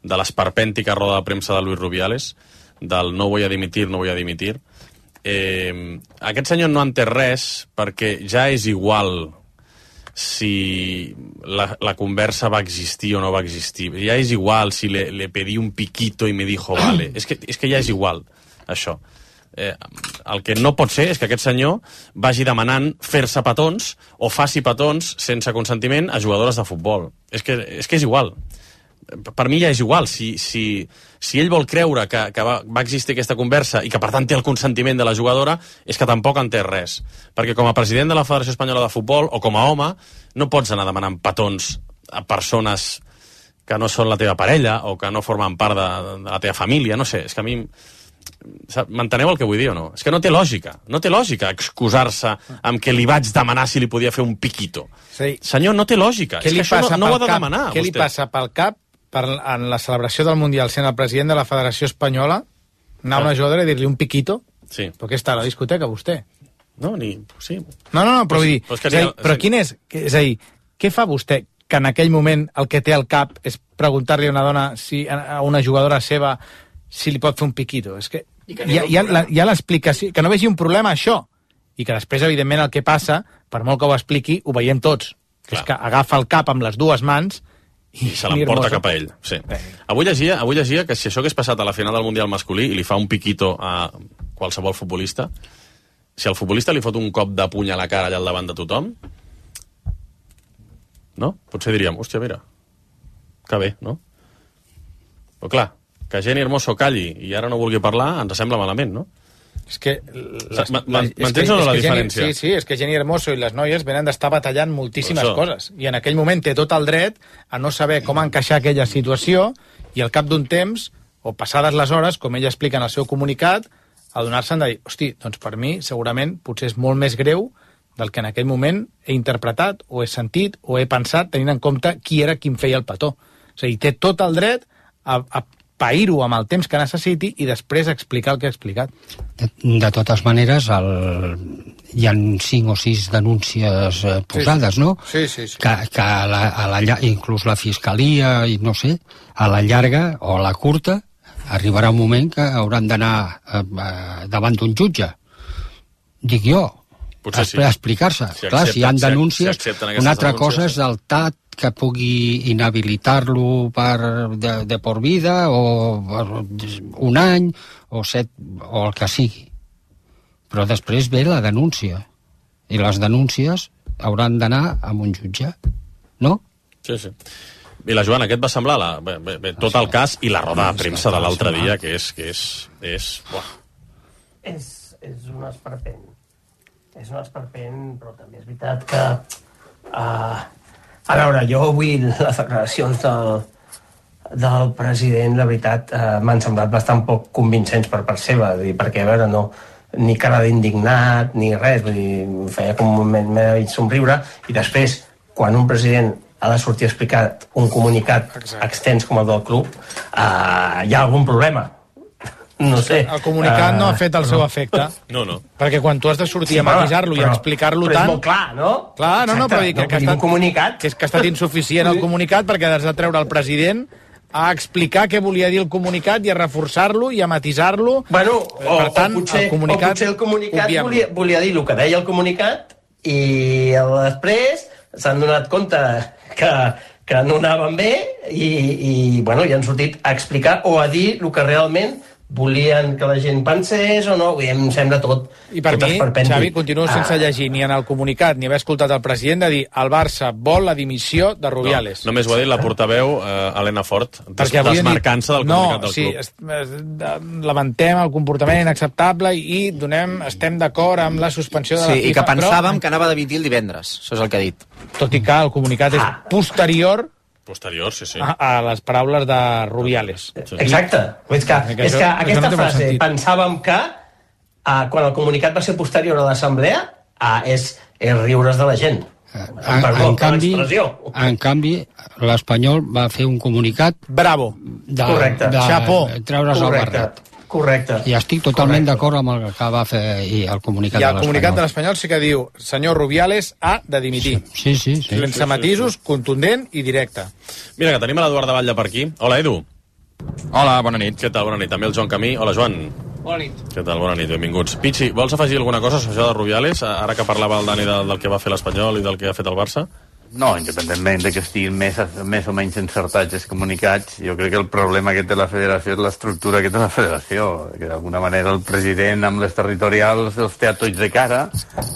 de l'esperpèntica roda de premsa de Luis Rubiales, del no voy a dimitir, no voy a dimitir. Eh, aquest senyor no en té res perquè ja és igual si la, la conversa va existir o no va existir. Ja és igual si le, le pedí un piquito i me dijo vale. És que, és que ja és igual, això. Eh, el que no pot ser és que aquest senyor vagi demanant fer-se petons o faci petons sense consentiment a jugadores de futbol. És que és, que és igual. Per mi ja és igual. Si, si, si ell vol creure que, que va, va existir aquesta conversa i que per tant té el consentiment de la jugadora, és que tampoc en té res. Perquè com a president de la Federació Espanyola de Futbol o com a home no pots anar demanant petons a persones que no són la teva parella o que no formen part de, de la teva família. No sé, és que a mi... M'enteneu el que vull dir o no? És que no té lògica. No té lògica excusar-se amb que li vaig demanar si li podia fer un piquito. Sí. Senyor, no té lògica. És que això no, no ho ha de demanar. Què li passa pel cap per, en la celebració del Mundial, sent el president de la Federació Espanyola, anar a una jugadora i dir-li un piquito? Sí. Però què està a la discoteca, vostè? No, ni... Sí. No, no, no, però vull dir... Però, és que és a dir, ni- però quin és... És a dir, què fa vostè que en aquell moment el que té al cap és preguntar-li a una dona, si, a una jugadora seva, si li pot fer un piquito? És que hi ha, hi ha, la- hi ha l'explicació... Que no vegi un problema, això. I que després, evidentment, el que passa, per molt que ho expliqui, ho veiem tots. Que és que agafa el cap amb les dues mans i, I se l'emporta cap a ell. Sí. Avui llegia, avui llegia que si això hagués passat a la final del Mundial masculí i li fa un piquito a qualsevol futbolista, si el futbolista li fot un cop de puny a la cara allà al davant de tothom, no? Potser diríem, hòstia, mira, que bé, no? Però clar, que Jenny Hermoso calli i ara no vulgui parlar, ens sembla malament, no? És que... Les, M'entens o no la diferència? Jenny, sí, sí, és que Jenny Hermoso i les noies venen d'estar batallant moltíssimes Això. coses. I en aquell moment té tot el dret a no saber com encaixar aquella situació i al cap d'un temps, o passades les hores, com ella explica en el seu comunicat, adonar-se'n de dir, hosti, doncs per mi segurament potser és molt més greu del que en aquell moment he interpretat o he sentit o he pensat tenint en compte qui era qui em feia el petó. És a dir, té tot el dret a, a pair-ho amb el temps que necessiti i després explicar el que ha explicat. De, de totes maneres, el... hi ha cinc o sis denúncies eh, posades, sí, sí. no? Sí, sí, sí. Que, que a la, a la, llar- inclús la fiscalia, i no sé, a la llarga o a la curta, arribarà un moment que hauran d'anar eh, eh, davant d'un jutge. Dic jo. Potser sí. A explicar-se. Si Clar, si hi ha accepten- denúncies, si accepten aquestes una altra denúncies, cosa és el T A T que pugui inhabilitar-lo per de, de por vida o per un any o set o el que sigui. Però després ve la denúncia i les denúncies hauran d'anar amb un jutge, no? Sí, sí. I la Joana, què et va semblar la, bé, bé, bé, tot el cas i la roda de premsa de l'altre dia, que és... Que és, és, buah. És, és un esperpent. És un esperpent, però també és veritat que... Uh, a veure, jo avui les declaracions del, del president, la veritat, uh, m'han semblat bastant poc convincents per part seva, dir, perquè, a veure, no, ni cara d'indignat, ni res, vull dir, feia com un moment m'he de somriure, i després, quan un president ha de sortir a explicar un comunicat Exacte. extens com el del club, uh, hi ha algun problema. No sé. El comunicat uh, no ha fet el seu efecte. No, no. Perquè quan tu has de sortir Sí, a matisar-lo i a explicar-lo però tant... és molt clar, no? Clar, no, no, però dir que, no, que, ha estat, comunicat. que, és, que ha estat insuficient el comunicat perquè has de treure el president a explicar què volia dir el comunicat i a reforçar-lo i a matisar-lo. Bueno, o, per tant, o, potser, el comunicat, o potser el comunicat obviem. volia, volia dir el que deia el comunicat i després s'han donat compte que, que no anaven bé i, i, bueno, i han sortit a explicar o a dir el que realment volien que la gent pensés o no, i em sembla tot I per tot mi, esperpèntic. Xavi, continuo sense Ah. llegir ni en el comunicat ni haver escoltat el president de dir el Barça vol la dimissió de Rubiales. No, només ho ha dit la portaveu eh, Helena Fort, des, Perquè avui han dit- desmarcant-se del comunicat no, del sí, club. es, es, lamentem el comportament inacceptable i donem, estem d'acord amb la suspensió de la Sí, FIFA. i que pensàvem però, que anava a dimitir el divendres. Això és el que ha dit. tot i que el comunicat és posterior Posterior, sí, sí. a, a les paraules de Rubiales. Exacte. És que, Que és això- que això aquesta no té molt frase, sentit. pensàvem que uh, quan el comunicat va ser posterior a l'assemblea, uh, és, és riure's de la gent. En, Perdó, en, per canvi, l'expressió. en canvi, l'Espanyol va fer un comunicat Bravo. de, Correcte. de Chapó. treure's el Correcte. barret. Correcte. I estic totalment Correcte. d'acord amb el que va fer i el comunicat I de el comunicat de l'Espanyol. l'Espanyol sí que diu senyor Rubiales ha de dimitir. Sí, sí, sí. Sense matisos, contundent i directe. Mira, que tenim a l'Eduard de Batlle per aquí. Hola, Edu. Hola, bona nit. Què tal? Bona nit. També el Joan Camí. Hola, Joan. Bona nit. Què tal? Bona nit, benvinguts. Pichi, vols afegir alguna cosa sobre això de Rubiales, ara que parlava el Dani del, del que va fer l'Espanyol i del que ha fet el Barça? No, independentment de que estiguin més, més o menys encertats els comunicats, jo crec que el problema que té la federació és l'estructura que té la federació, que d'alguna manera el president amb les territorials els té a tots de cara,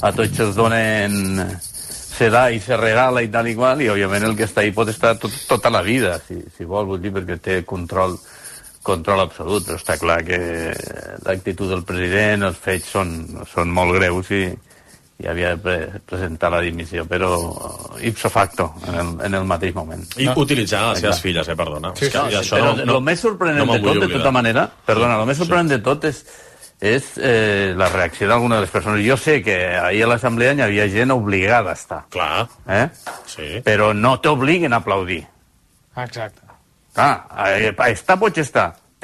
a tots els donen se da i se regala i tal i qual, i òbviament el que està ahí pot estar tot, tota la vida, si, si vol, vull dir, perquè té control control absolut, però està clar que l'actitud del president, els fets són, són molt greus i i havia de pre presentar la dimissió, però ipso facto, en el, en el mateix moment. I no. utilitzant les seves filles, eh, perdona. Sí, és que, sí, i això però no, el no, més sorprenent no de tot, de oblidar. tota manera, perdona, el més sorprenent sí. de tot és, és eh, la reacció d'alguna de les persones. Jo sé que ahir a l'assemblea hi havia gent obligada a estar. Clar. Eh? Sí. Però no t'obliguen a aplaudir. Exacte. Ah, està, pots estar.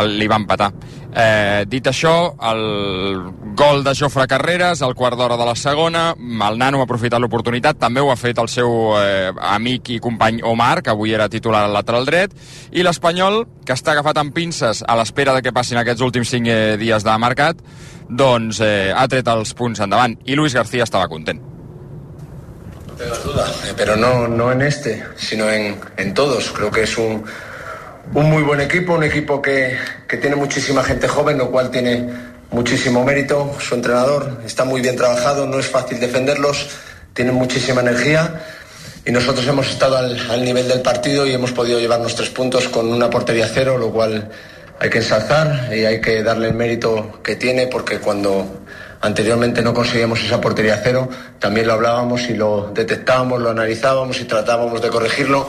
el, li va empatar. Eh, dit això, el gol de Jofre Carreras, al quart d'hora de la segona, el nano ha aprofitat l'oportunitat, també ho ha fet el seu eh, amic i company Omar, que avui era titular al lateral dret, i l'Espanyol, que està agafat amb pinces a l'espera de que passin aquests últims cinc eh, dies de mercat, doncs eh, ha tret els punts endavant, i Luis García estava content. No tengas duda, pero no, no en este, sino en, en todos. Creo que es un Un muy buen equipo, un equipo que, que tiene muchísima gente joven, lo cual tiene muchísimo mérito. Su entrenador está muy bien trabajado, no es fácil defenderlos, tienen muchísima energía y nosotros hemos estado al, al nivel del partido y hemos podido llevarnos tres puntos con una portería cero, lo cual hay que ensalzar y hay que darle el mérito que tiene, porque cuando anteriormente no conseguíamos esa portería cero, también lo hablábamos y lo detectábamos, lo analizábamos y tratábamos de corregirlo.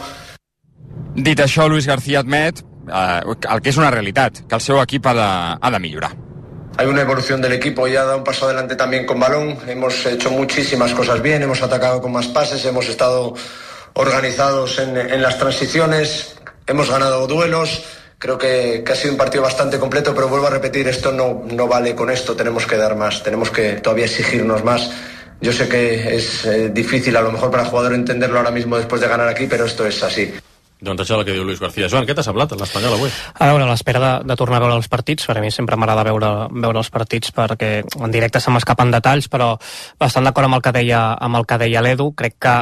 Dit això, Luis García admet eh, el que és una realitat, que el seu equip ha de, ha de millorar. Hay una evolución del equipo, ya da un paso adelante también con balón, hemos hecho muchísimas cosas bien, hemos atacado con más pases, hemos estado organizados en, en las transiciones, hemos ganado duelos, creo que, que ha sido un partido bastante completo, pero vuelvo a repetir, esto no, no vale con esto, tenemos que dar más, tenemos que todavía exigirnos más. Yo sé que es eh, difícil a lo mejor para el jugador entenderlo ahora mismo después de ganar aquí, pero esto es así. Doncs això és el que diu Luis García. Joan, què t'ha semblat l'Espanyol avui? A veure, a l'espera de, de tornar a veure els partits, per a mi sempre m'agrada veure, veure els partits perquè en directe se m'escapen detalls, però bastant d'acord amb el que deia, amb el que deia l'Edu, crec que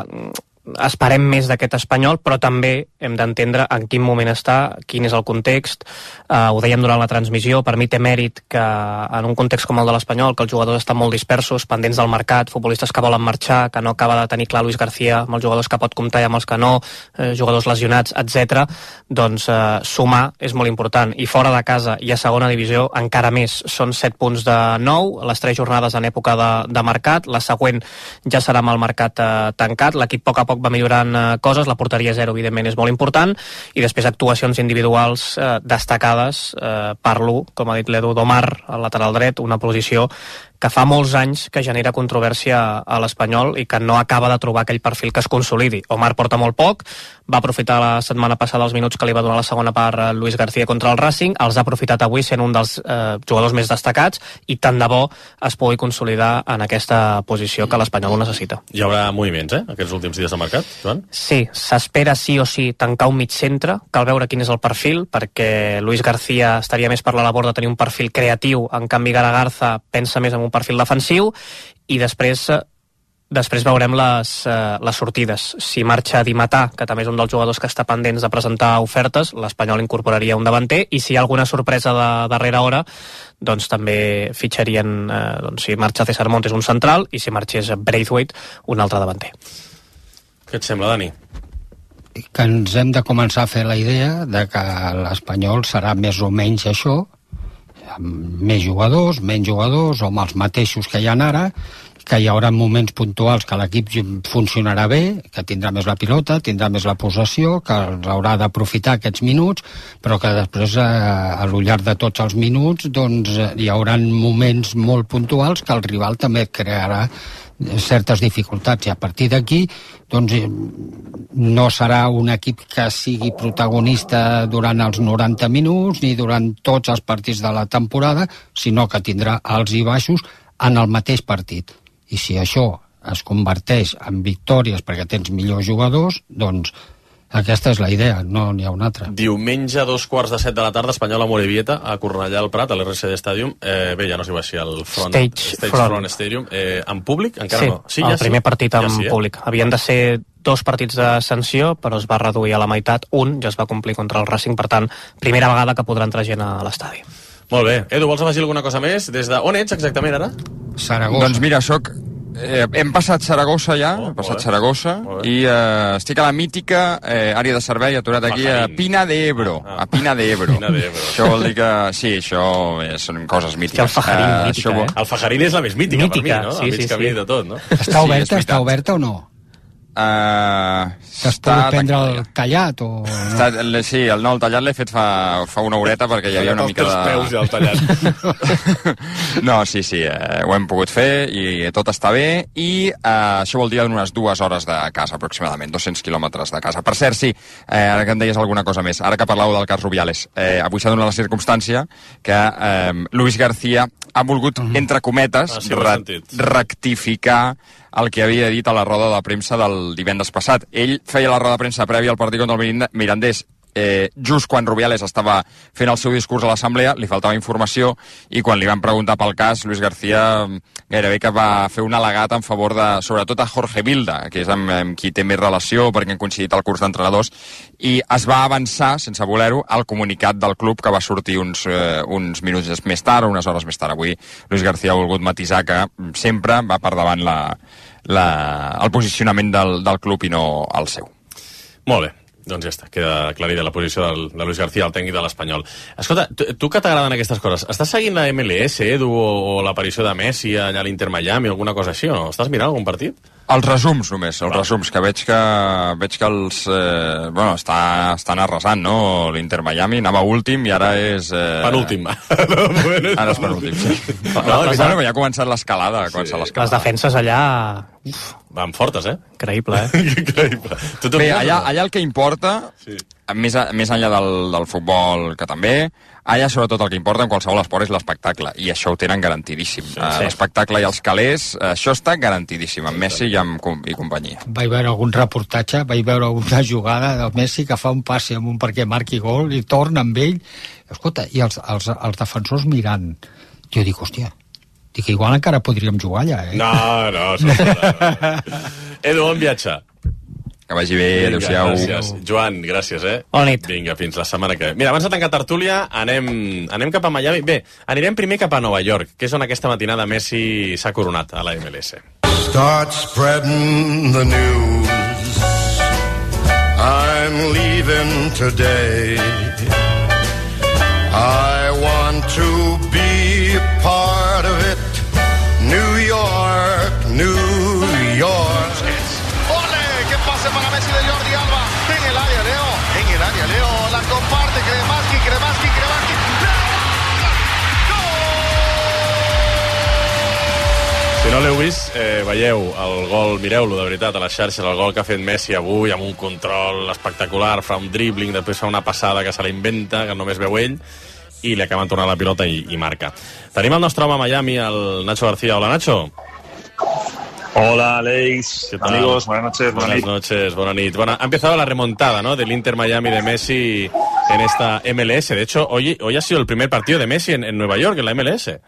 esperem més d'aquest Espanyol, però també hem d'entendre en quin moment està, quin és el context. Uh, ho dèiem durant la transmissió, per mi té mèrit que en un context com el de l'Espanyol, que els jugadors estan molt dispersos, pendents del mercat, futbolistes que volen marxar, que no acaba de tenir clar Luis García, amb els jugadors que pot comptar i amb els que no, eh, jugadors lesionats, etcètera. Doncs uh, sumar és molt important. I fora de casa i a segona divisió encara més. Són set punts de nou, les tres jornades en època de, de mercat, la següent ja serà amb el mercat eh, tancat, l'equip a poc a poc va millorant eh, coses, la porteria zero evidentment és molt important, i després actuacions individuals eh, destacades, eh, parlo, com ha dit l'Edu, d'Omar al lateral dret, una posició que fa molts anys que genera controvèrsia a l'Espanyol i que no acaba de trobar aquell perfil que es consolidi. Omar porta molt poc, va aprofitar la setmana passada els minuts que li va donar la segona part Luis García contra el Racing, els ha aprofitat avui sent un dels eh, jugadors més destacats, i tant de bo es pugui consolidar en aquesta posició que l'Espanyol ho necessita. Hi haurà moviments, eh, aquests últims dies de mercat, Joan? Sí, s'espera sí o sí tancar un mig centre, cal veure quin és el perfil, perquè Luis García estaria més per la labor de tenir un perfil creatiu, en canvi Garagarza pensa més en un perfil defensiu, i després després veurem les, eh, les sortides. Si marxa Di Matà, que també és un dels jugadors que està pendents de presentar ofertes, l'Espanyol incorporaria un davanter, i si hi ha alguna sorpresa de darrera hora, doncs també fitxarien, eh, doncs, si marxa César Montes, un central, i si marxés Braithwaite, un altre davanter. Què et sembla, Dani? Que ens hem de començar a fer la idea de que l'Espanyol serà més o menys això, amb més jugadors, menys jugadors o amb els mateixos que hi ha ara, que hi haurà moments puntuals que l'equip funcionarà bé, que tindrà més la pilota, tindrà més la possessió, que haurà d'aprofitar aquests minuts, però que després, a lo llarg de tots els minuts, doncs hi haurà moments molt puntuals que el rival també crearà certes dificultats, i a partir d'aquí doncs no serà un equip que sigui protagonista durant els noranta minuts ni durant tots els partits de la temporada, sinó que tindrà alts i baixos en el mateix partit. I si això es converteix en victòries perquè tens millors jugadors, doncs aquesta és la idea, no n'hi ha una altra. Diumenge, a dos quarts de set de la tarda, Espanyol a Morevieta, a Cornellà al Prat, a l'R C D Stadium. Eh, bé, ja no sé si al front, Stage, Stage front. Front Stadium. Eh, en públic? Encara sí, no. Sí, el ja primer sí? partit en ja sí, eh? públic. Havien de ser dos partits de sanció, però es va reduir a la meitat. Un ja es va complir contra el Racing, per tant, primera vegada que podrà entrar gent a l'estadi. Molt bé. Edu, vols afegir alguna cosa més? Des de... On ets exactament ara? Saragossa. Doncs mira, soc... Eh, hem passat Saragossa ja, Oh, hem passat molt bé. Saragossa, Molt bé. i eh, estic a la mítica eh, àrea de servei, aturat aquí a Pajarín. Pina de Ebro. Ah, ah. A Pina de Ebro. Pina de Ebro. Això vol dir que... Sí, això eh, són coses mítiques. el Pajarín, Eh, mítica, això vol- eh? El Fajarín és la més mítica, Mítica, per mi, no? sí, a mig sí, camí sí. de tot, no? Està Sí, és oberta, veritat. està oberta o no? Uh, T'has pogut prendre el tallat o... Està, sí, el, no, el tallat l'he fet fa, fa una horeta perquè hi havia una mica de... Els peus i el tallat. No, sí, sí, eh, ho hem pogut fer i tot està bé i eh, això vol dir unes dues hores de casa aproximadament, dos-cents quilòmetres de casa. Per cert, sí, eh, ara que em deies alguna cosa més, ara que parlàveu del cas Rubiales, eh, avui s'ha donat la circumstància que eh, Luis García ha volgut, entre cometes, ah, sí, re rectificar el que havia dit a la roda de premsa del divendres passat. Ell feia la roda de premsa prèvia al partit contra el Mirandés eh, just quan Rubiales estava fent el seu discurs a l'assemblea, li faltava informació i quan li van preguntar pel cas, Luis García gairebé que va fer un al·legat en favor de, sobretot a Jorge Vilda, que és amb, amb qui té més relació perquè han coincidit al curs d'entrenadors, i es va avançar, sense voler-ho, al comunicat del club que va sortir uns, eh, uns minuts més tard o unes hores més tard. Avui Luis García ha volgut matisar que sempre va per davant la, la, el posicionament del, del club i no el seu. Molt bé. Doncs ja està, queda aclarida la posició del, de Luis García, el tècnic de l'Espanyol. Escolta, tu, tu que t'agraden aquestes coses, estàs seguint la M L S, Edu, o, o l'aparició de Messi allà a l'Inter Miami, alguna cosa així, o no? Estàs mirant algun partit? Els resums només, els resums, que veig que veig que els... Eh, bueno, està, estan arrasant, no? L'Inter Miami anava últim i ara és... Eh... Penúltim. Ara és penúltim, sí. No, no, no, ja ha començat l'escalada. Sí. Les defenses allà... Uf, van fortes, eh? Increïble, eh? Increïble. Bé, allà, allà el que importa, sí. més, a, més enllà del, del futbol, que també, allà sobretot el que importa en qualsevol esport és l'espectacle, i això ho tenen garantidíssim. Sí, sí. L'espectacle i els calés, això està garantidíssim, amb Messi i amb i companyia. Vaig veure algun reportatge, vaig veure una jugada del Messi que fa un passe amunt perquè marqui gol i torna amb ell. Escolta, i els, els, els defensors mirant. Jo dic, hòstia, dic, igual encara podríem jugar allà, eh? No, no, no, no. Edu, on viatge? Que vagi bé, adéu-siau. Gràcies. Joan, gràcies, eh? Bona nit. Vinga, fins la setmana que ve. Mira, abans de tancar tertúlia, anem, anem cap a Miami. Bé, anirem primer cap a Nova York, que és on aquesta matinada Messi s'ha coronat a la M L S. Start spreading the news. I'm leaving today. I want to be a part of it. New York, New York. Pase para Messi de Jordi Alba en el área, Leo, en el área, Leo, la comparte Kremaski, Kremaski, Kremaski, Si no l'heu vist, eh, veieu el gol, mireu-lo de veritat a les xarxes, el gol que ha fet Messi avui amb un control espectacular, fa un dribbling, després fa una passada que se la inventa, que només veu ell, i li acaben tornant la pilota i, i marca. Tenim el nostre home a Miami, el Nacho García. Hola, Nacho. Hola, Alex, amigos, buenas noches. Buenas noches, buenas noches. Bueno, ha empezado la remontada, ¿no?, del Inter Miami de Messi en esta M L S. De hecho, hoy, hoy ha sido el primer partido de Messi en, en Nueva York, en la M L S.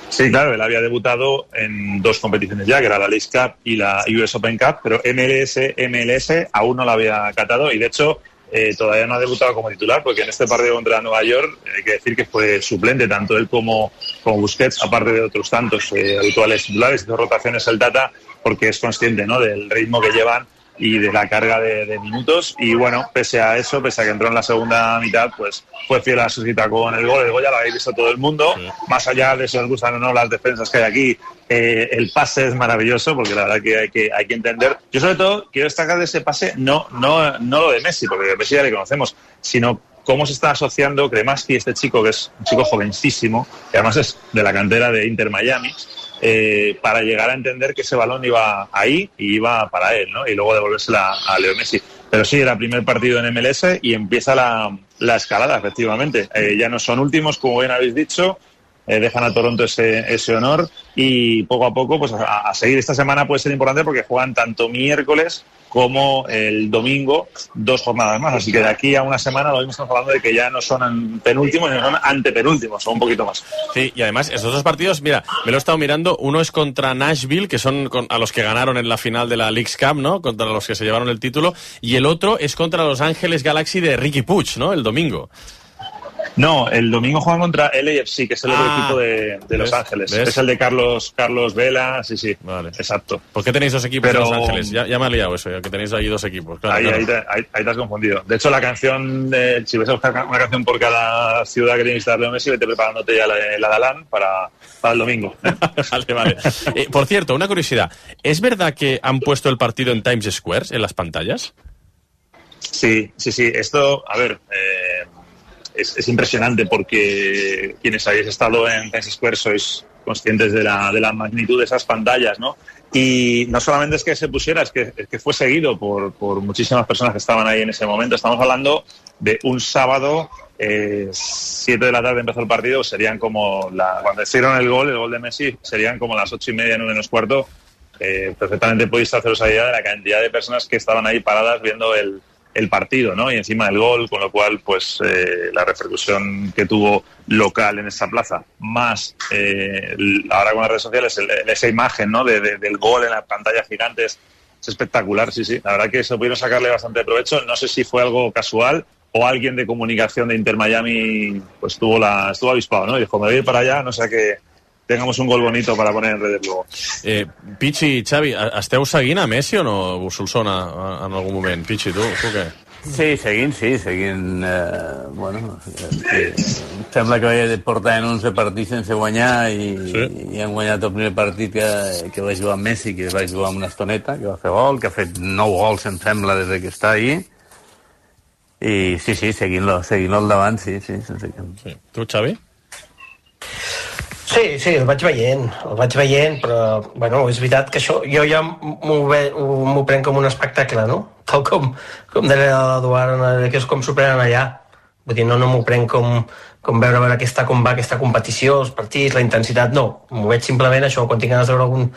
Sí, claro, él había debutado en dos competiciones ya, que era la Leagues Cup y la U S Open Cup, pero M L S, M L S aún no la había catado y, de hecho, Eh, todavía no ha debutado como titular, porque en este partido contra Nueva York hay que decir que fue suplente, tanto él como, como Busquets, aparte de otros tantos eh, habituales titulares. Hizo rotaciones el Tata porque es consciente, ¿no?, del ritmo que llevan y de la carga de, de minutos, y bueno, pese a eso, pese a que entró en la segunda mitad, pues fue fiel a su cita con el gol. El gol ya lo habéis visto todo el mundo, sí. Más allá de si os gustan o no las defensas que hay aquí, eh, el pase es maravilloso, porque la verdad que hay que, hay que entender. Yo sobre todo quiero destacar de ese pase, no, no, no lo de Messi, porque Messi ya le conocemos, sino cómo se está asociando Kremaski, este chico que es un chico jovencísimo, que además es de la cantera de Inter Miami, Eh, para llegar a entender que ese balón iba ahí y iba para él, ¿no? Y luego devolvérsela a Leo Messi. Pero sí, era primer partido en M L S y empieza la, la escalada, efectivamente. Eh, ya no son últimos, como bien habéis dicho, eh, dejan a Toronto ese, ese honor y poco a poco pues a, a seguir. Esta semana puede ser importante porque juegan tanto miércoles como el domingo, dos jornadas más. Así que de aquí a una semana lo mismo estamos hablando de que ya no son penúltimos, sino son antepenúltimos, o un poquito más. Sí, y además estos dos partidos, mira, me lo he estado mirando, uno es contra Nashville, que son con, a los que ganaron en la final de la Leagues Cup, ¿no?, contra los que se llevaron el título, y el otro es contra Los Ángeles Galaxy de Ricky Puig, ¿no?, el domingo. No, el domingo juegan contra L A F C, que es el otro Ah, equipo de, de Los ¿ves? Ángeles. ¿Ves? Es el de Carlos Carlos Vela, sí, sí. Vale. Exacto. ¿Por qué tenéis dos equipos Pero- de Los Ángeles? Ya, ya me ha liado eso, ya que tenéis ahí dos equipos. Claro, ahí, claro. ahí, te, ahí, ahí te has confundido. De hecho, la canción, de, si vas a buscar una canción por cada ciudad que tienes que dar Leo Messi, vete preparándote ya la de la de Alan para, para el domingo. Vale, vale. Eh, por cierto, una curiosidad. ¿Es verdad que han puesto el partido en Times Square, en las pantallas? Sí, sí, sí. Esto, a ver, eh, es, es impresionante porque quienes habéis estado en Times Square sois conscientes de la, de la magnitud de esas pantallas, ¿no? Y no solamente es que se pusiera, es que, es que fue seguido por, por muchísimas personas que estaban ahí en ese momento. Estamos hablando de un sábado, eh, siete de la tarde empezó el partido, serían como, la, cuando hicieron el gol, el gol de Messi, serían como las ocho y media, nueve menos cuarto. Eh, perfectamente podéis haceros idea de la cantidad de personas que estaban ahí paradas viendo el, el partido, ¿no? Y encima del gol, con lo cual, pues, eh, la repercusión que tuvo local en esa plaza, más eh, ahora con las redes sociales, el, el, esa imagen, ¿no? De, de, del gol en las pantallas gigantes, es espectacular, sí, sí. La verdad que se pudieron sacarle bastante provecho. No sé si fue algo casual o alguien de comunicación de Inter Miami, pues, tuvo la, estuvo avispado, ¿no? Y dijo, me voy a ir para allá, no sé qué. Tengamos un gol bonito para poner en redes luego. Eh, Pichi, Xavi, esteu seguint a Messi o no? Us sona en algun moment? Pichi, tu, tu què? Sí, seguint, sí, seguint... Eh, bueno, eh, sembla que vaig portar en onze partits sense guanyar i, sí. i han guanyat el primer partit que, que va jugar amb Messi, que va jugar amb una estoneta, que va fer gol, que ha fet nou gols, em sembla, des que està ahí. I sí, sí, seguint-lo, seguint-lo al davant, sí, sí. Sense que... sí. Tu, Xavi? Sí, sí, el vaig veient, el vaig veient, però, bueno, és veritat que això, jo ja m'ho ve- m'ho prenc com un espectacle, no? Tal com, com deia l'Eduard, que és com s'ho prenen allà. Vull dir, no, no m'ho prenc com, com veure, veure aquesta, com va aquesta competició, els partits, la intensitat, no. M'ho veig simplement això, quan tinc ganes de veure algun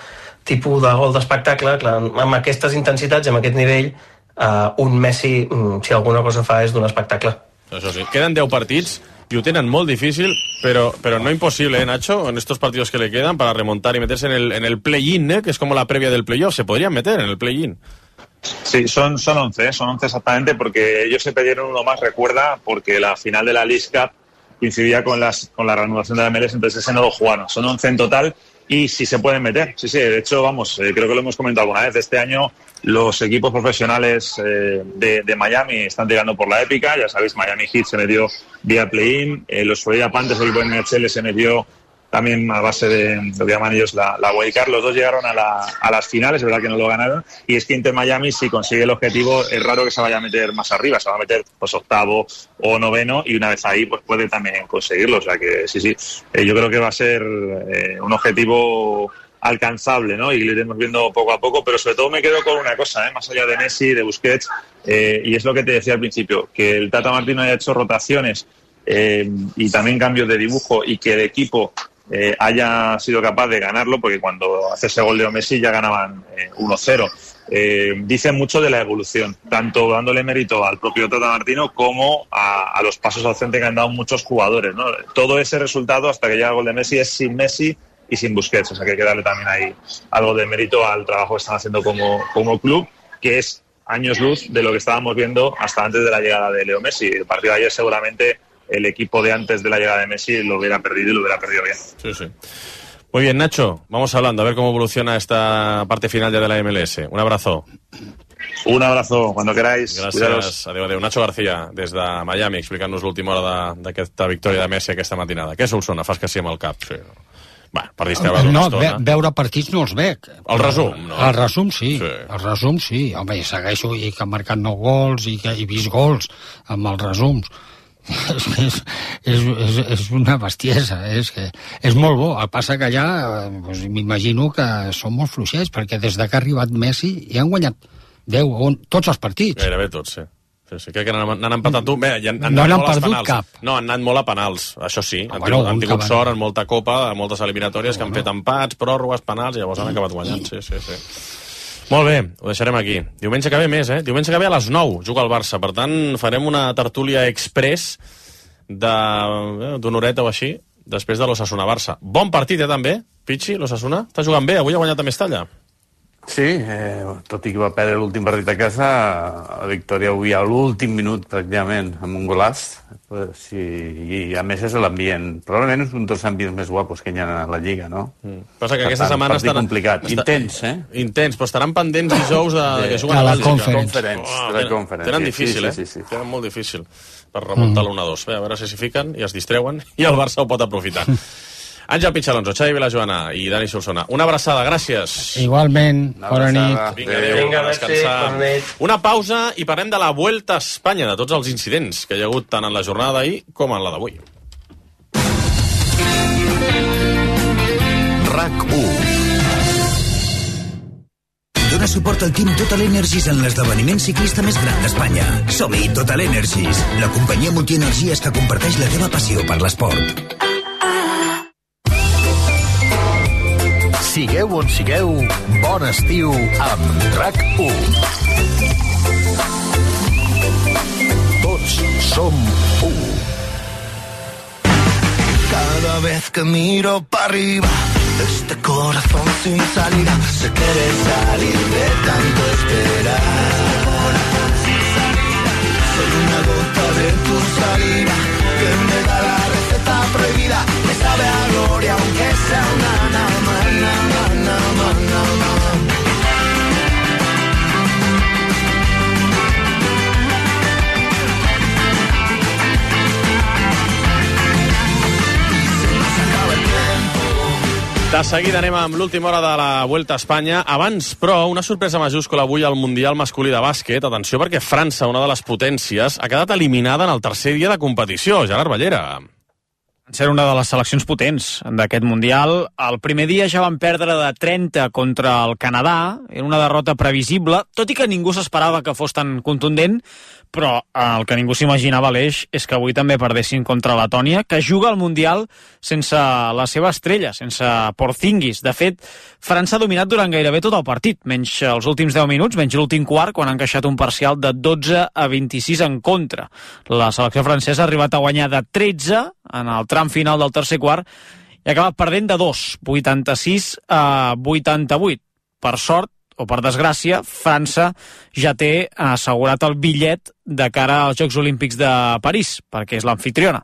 tipus de gol d'espectacle, clar, amb aquestes intensitats, amb aquest nivell, uh, un Messi, um, si alguna cosa fa, és d'un espectacle. Això sí. Queden deu partits y lo tienen muy difícil, pero, pero no imposible, ¿eh, Nacho? En estos partidos que le quedan para remontar y meterse en el, en el play-in, ¿eh? Que es como la previa del playoff. Se podrían meter en el play-in. Sí, son, son once, ¿eh? Son once exactamente, porque ellos se pidieron uno más, recuerda, porque la final de la League Cup coincidía con, las, con la reanudación de la M L S, entonces ese no lo jugaron. Son once en total y sí se pueden meter. Sí, sí, de hecho, vamos, eh, creo que lo hemos comentado alguna vez. Este año los equipos profesionales eh, de, de Miami están tirando por la épica. Ya sabéis, Miami Heat se metió vía play-in. Eh, los Florida Panthers, el equipo de N H L, se metió también a base de, lo que llaman ellos la, la wildcard. Los dos llegaron a, la, a las finales, es verdad que no lo ganaron, y es que Inter Miami, si consigue el objetivo, es raro que se vaya a meter más arriba, se va a meter pues octavo o noveno, y una vez ahí pues puede también conseguirlo, o sea que sí, sí, eh, yo creo que va a ser eh, un objetivo alcanzable, ¿no? Y lo iremos viendo poco a poco, pero sobre todo me quedo con una cosa, ¿eh? Más allá de Messi, de Busquets, eh, y es lo que te decía al principio, que el Tata Martino haya hecho rotaciones eh, y también cambios de dibujo, y que el equipo Eh, haya sido capaz de ganarlo, porque cuando hace ese gol de Messi ya ganaban eh, uno cero. Eh, dice mucho de la evolución, tanto dándole mérito al propio Tata Martino como a, a los pasos al frente que han dado muchos jugadores, ¿no? Todo ese resultado hasta que llega el gol de Messi es sin Messi y sin Busquets, o sea que hay que darle también ahí algo de mérito al trabajo que están haciendo como, como club, que es años luz de lo que estábamos viendo hasta antes de la llegada de Leo Messi. El partido de ayer seguramente el equipo de antes de la llegada de Messi lo hubiera perdido y lo hubiera perdido bien. Sí, sí. Muy bien, Nacho, vamos hablando, a ver cómo evoluciona esta parte final ya de la M L S. Un abrazo. Un abrazo, cuando queráis. Gràcies. Cuidaros. Adéu, adéu. Nacho García, des de Miami, explicant-nos l'última hora d'aquesta victòria de Messi aquesta matinada. Què Solsona? Fas que sí amb el cap. Sí. Va, per distreure una no, estona. ve, veure partits no els veig. El resum, no? El resum sí, Sí. el resum sí. Home, i segueixo i que han marcat nou gols i que he vist gols amb els resums. és, és, és, és, és una bestiesa, és, que és molt bo. El passa que allà eh, doncs, m'imagino que són molt fluixets, perquè des de que ha arribat Messi hi han guanyat deu, on, tots els partits. Gairebé tots, sí. Sí, sí, crec que n'han n'han empatat un. Bé, han, han No anat n'han molt als perdut penals. cap. No, han anat molt a penals, això sí. Han, bueno, tingut, han un tingut que van- sort en molta copa, en moltes eliminatòries, que han fet empats, pròrrogues, penals, i llavors han acabat guanyant. Sí, sí, sí. Molt bé, ho deixarem aquí. Diumenge que ve més, eh? Diumenge que ve a les nou juga el Barça. Per tant, farem una tertúlia express de- d'una horeta o així, després de l'Osasuna-Barça. Bon partit, eh, també, Pichi, l'Osasuna. Està jugant bé, avui ha guanyat a Mestalla. Sí, eh, tot i que va perdre l'últim partit a casa, la victòria avui a l'últim minut, pràcticament, amb un golaç. Pues, sí, i a més és l'ambient. Probablement és un dels ambients més guapos que hi ha a la Lliga, no? Mm. Passa que per aquesta tant, setmana estan... complicat. Està... Intens, eh? Intens, però estaran pendents dijous de, de que juguen a a la Bèlgica. Conference. Oh, de la Conference. Tenen difícil, sí, eh? sí, sí, sí. Tenen molt difícil per remuntar mm. l'u a dos. Bé, a veure si s'hi fiquen i es distreuen i el Barça ho pot aprofitar. Àngel Pichalonso, Xavi Vilajoana i Dani Solsona. Una abraçada, gràcies. Igualment, bona nit. Vinga, adéu, a descansar. Una pausa i parlem de la Vuelta a Espanya, de tots els incidents que hi ha hagut tant en la jornada d'ahir com en la d'avui. RAC u. Dóna suport al Team Total Energies en l'esdeveniment ciclista més gran d'Espanya. Som-hi, Total Energies, la companyia multienergies que comparteix la teva passió per l'esport. Sigueu on sigueu, bon estiu amb RAC u. Tots som u. Cada vez que miro para arriba, este corazón sin salida se quiere salir de tanto esperar. Soy una gota de tu saliva que me da la receta prohibida. Me sabe a gloria aunque sea una nada más, nada más, nada más, nada más. De seguida anem amb l'última hora de la Vuelta a Espanya. Abans, però, una sorpresa majúscula avui al Mundial masculí de bàsquet. Atenció, perquè França, una de les potències, ha quedat eliminada en el tercer dia de competició. Gerard Ballera. Ser una de les seleccions potents d'aquest Mundial. El primer dia ja van perdre de trenta contra el Canadà. Era una derrota previsible, tot i que ningú s'esperava que fos tan contundent, però el que ningú s'imaginava, l'Eix, és que avui també perdessin contra Letònia, que juga al Mundial sense la seva estrella, sense Porzingis. De fet, França ha dominat durant gairebé tot el partit, menys els últims deu minuts, menys l'últim quart, quan han encaixat un parcial de dotze a vint-i-sis en contra. La selecció francesa ha arribat a guanyar de tretze en el tram final del tercer quart i ha acabat perdent de dos, vuitanta-sis a vuitanta-vuit. Per sort, o per desgràcia, França ja té assegurat el bitllet de cara als Jocs Olímpics de París, perquè és l'amfitriona.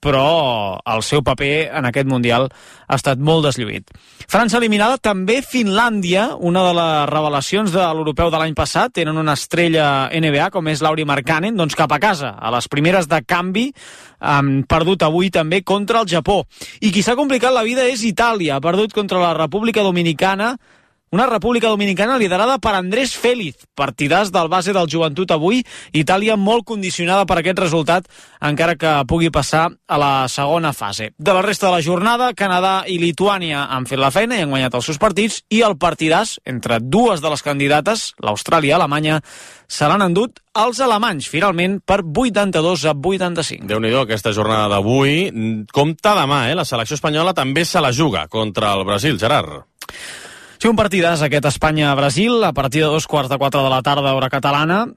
Però el seu paper en aquest Mundial ha estat molt deslluït. França eliminada, també Finlàndia, una de les revelacions de l'europeu de l'any passat. Tenen una estrella N B A, com és Lauri Markkanen, doncs cap a casa, a les primeres de canvi, han perdut avui també contra el Japó. I qui s'ha complicat la vida és Itàlia, ha perdut contra la República Dominicana, una República Dominicana liderada per Andrés Félix, partidàs del base del Joventut avui. Itàlia molt condicionada per aquest resultat, encara que pugui passar a la segona fase. De la resta de la jornada, Canadà i Lituània han fet la feina i han guanyat els seus partits, i el partidàs entre dues de les candidates, l'Austràlia i Alemanya, se l'han endut els alemanys, finalment, per vuitanta-dos a vuitanta-cinc. Déu-n'hi-do, aquesta jornada d'avui. Compte demà, eh? La selecció espanyola també se la juga contra el Brasil, Gerard. Sí, un partidàs aquest Espanya-Brasil, a partir de dos quarts de quatre de la tarda, hora catalana.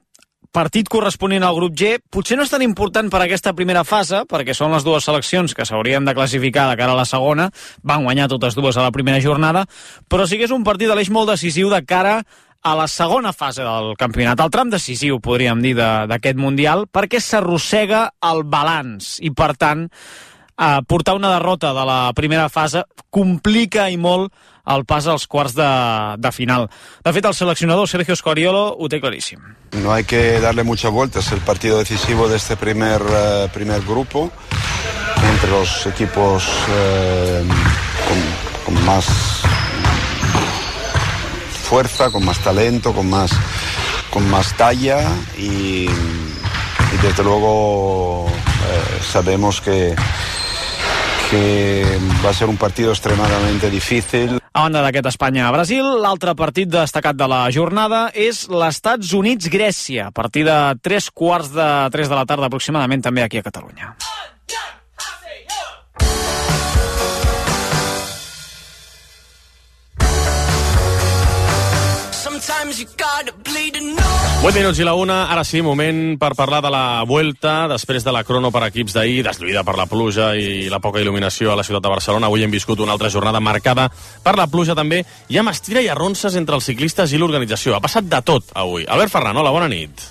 Partit corresponent al grup G. Potser no és tan important per aquesta primera fase, perquè són les dues seleccions que s'haurien de classificar de cara a la segona. Van guanyar totes dues a la primera jornada, però sí que és un partit de l'eix molt decisiu de cara a la segona fase del campionat. El tram decisiu, podríem dir, d'aquest Mundial, perquè s'arrossega el balanç i, per tant, eh, portar una derrota de la primera fase complica i molt el pas als quarts de, de final. De fet, el seleccionador Sergio Scoriolo ho té claríssim. No hay que darle muchas vueltas. El partido decisivo de este primer, uh, primer grupo, entre los equipos uh, con, con más fuerza, con más talento, con más, con más talla, y, y desde luego uh, sabemos que que va a ser un partido extremadamente difícil. A banda d'aquest Espanya-Brasil, l'altre partit destacat de la jornada és l'Estats Units-Grècia, a partir de tres quarts de tres de la tarda aproximadament, també aquí a Catalunya. Sometimes you gotta bleed to know. vuit minuts i la una, ara sí, moment per parlar de la Vuelta, després de la crono per equips d'ahir, deslluïda per la pluja i la poca il·luminació a la ciutat de Barcelona. Avui hem viscut una altra jornada marcada per la pluja també. Hi ha mestira i arronses entre els ciclistes i l'organització. Ha passat de tot avui. Albert Ferran, hola, bona nit.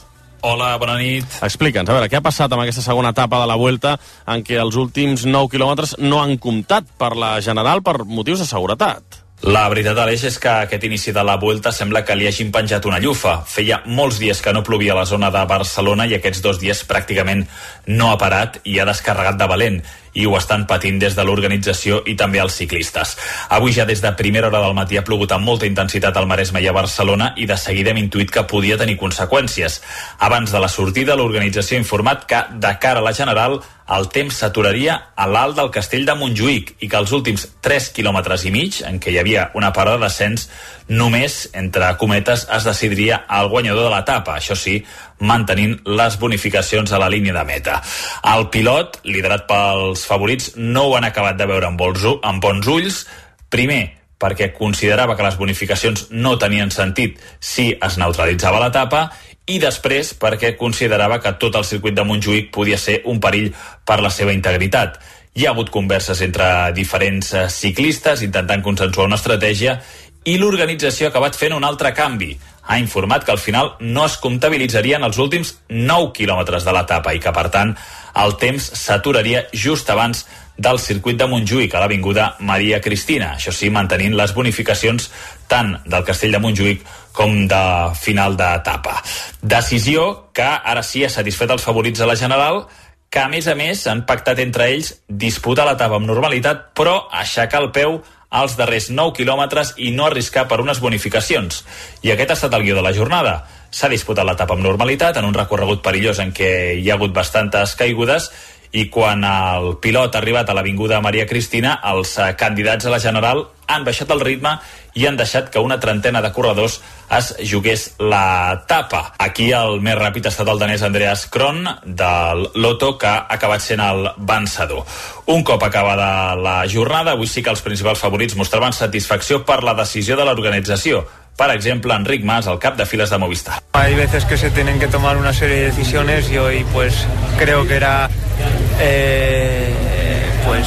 Hola, bona nit. Explica'ns, a veure, què ha passat amb aquesta segona etapa de la Vuelta en què els últims nou quilòmetres no han comptat per la General per motius de seguretat? La veritat, Aleix, és que aquest inici de la Vuelta sembla que li hagin penjat una llufa. Feia molts dies que no plovia a la zona de Barcelona i aquests dos dies pràcticament no ha parat i ha descarregat de valent. I ho estan patint des de l'organització i també els ciclistes. Avui ja des de primera hora del matí ha plogut amb molta intensitat al Maresme i a Barcelona i de seguida hem intuït que podia tenir conseqüències. Abans de la sortida, l'organització ha informat que, de cara a la General, el temps s'aturaria a l'alt del Castell de Montjuïc i que els últims tres quilòmetres i mig, en què hi havia una parada de descens, només, entre cometes, es decidiria el guanyador de l'etapa, això sí, mantenint les bonificacions a la línia de meta. El pilot, liderat pels favorits, no ho han acabat de veure amb bons, amb bons ulls. Primer, perquè considerava que les bonificacions no tenien sentit si es neutralitzava l'etapa, i després perquè considerava que tot el circuit de Montjuïc podia ser un perill per la seva integritat. Hi ha hagut converses entre diferents ciclistes intentant consensuar una estratègia i l'organització ha acabat fent un altre canvi. Ha informat que al final no es comptabilitzarien els últims nou quilòmetres de l'etapa i que, per tant, el temps s'aturaria just abans del circuit de Montjuïc a l'avinguda Maria Cristina, això sí, mantenint les bonificacions tant del Castell de Montjuïc com de final d'etapa. Decisió que ara sí ha satisfet els favorits a la General, que a més a més han pactat entre ells disputar l'etapa amb normalitat, però aixecar el peu als darrers nou quilòmetres i no arriscar per unes bonificacions. I aquest ha estat el guió de la jornada. S'ha disputat l'etapa amb normalitat, en un recorregut perillós en què hi ha hagut bastantes caigudes, i quan el pilot ha arribat a l'avinguda Maria Cristina, els candidats a la General han baixat el ritme i han deixat que una trentena de corredors es jugués l'etapa. Aquí el més ràpid ha estat el danès Andreas Kron del Lotto, que ha acabat sent el vencedor. Un cop acabada la jornada, avui sí que els principals favorits mostraven satisfacció per la decisió de l'organització. Por ejemplo, Enric Mas, el cap de filas de Movistar. Hay veces que se tienen que tomar una serie de decisiones y hoy pues creo que era eh, pues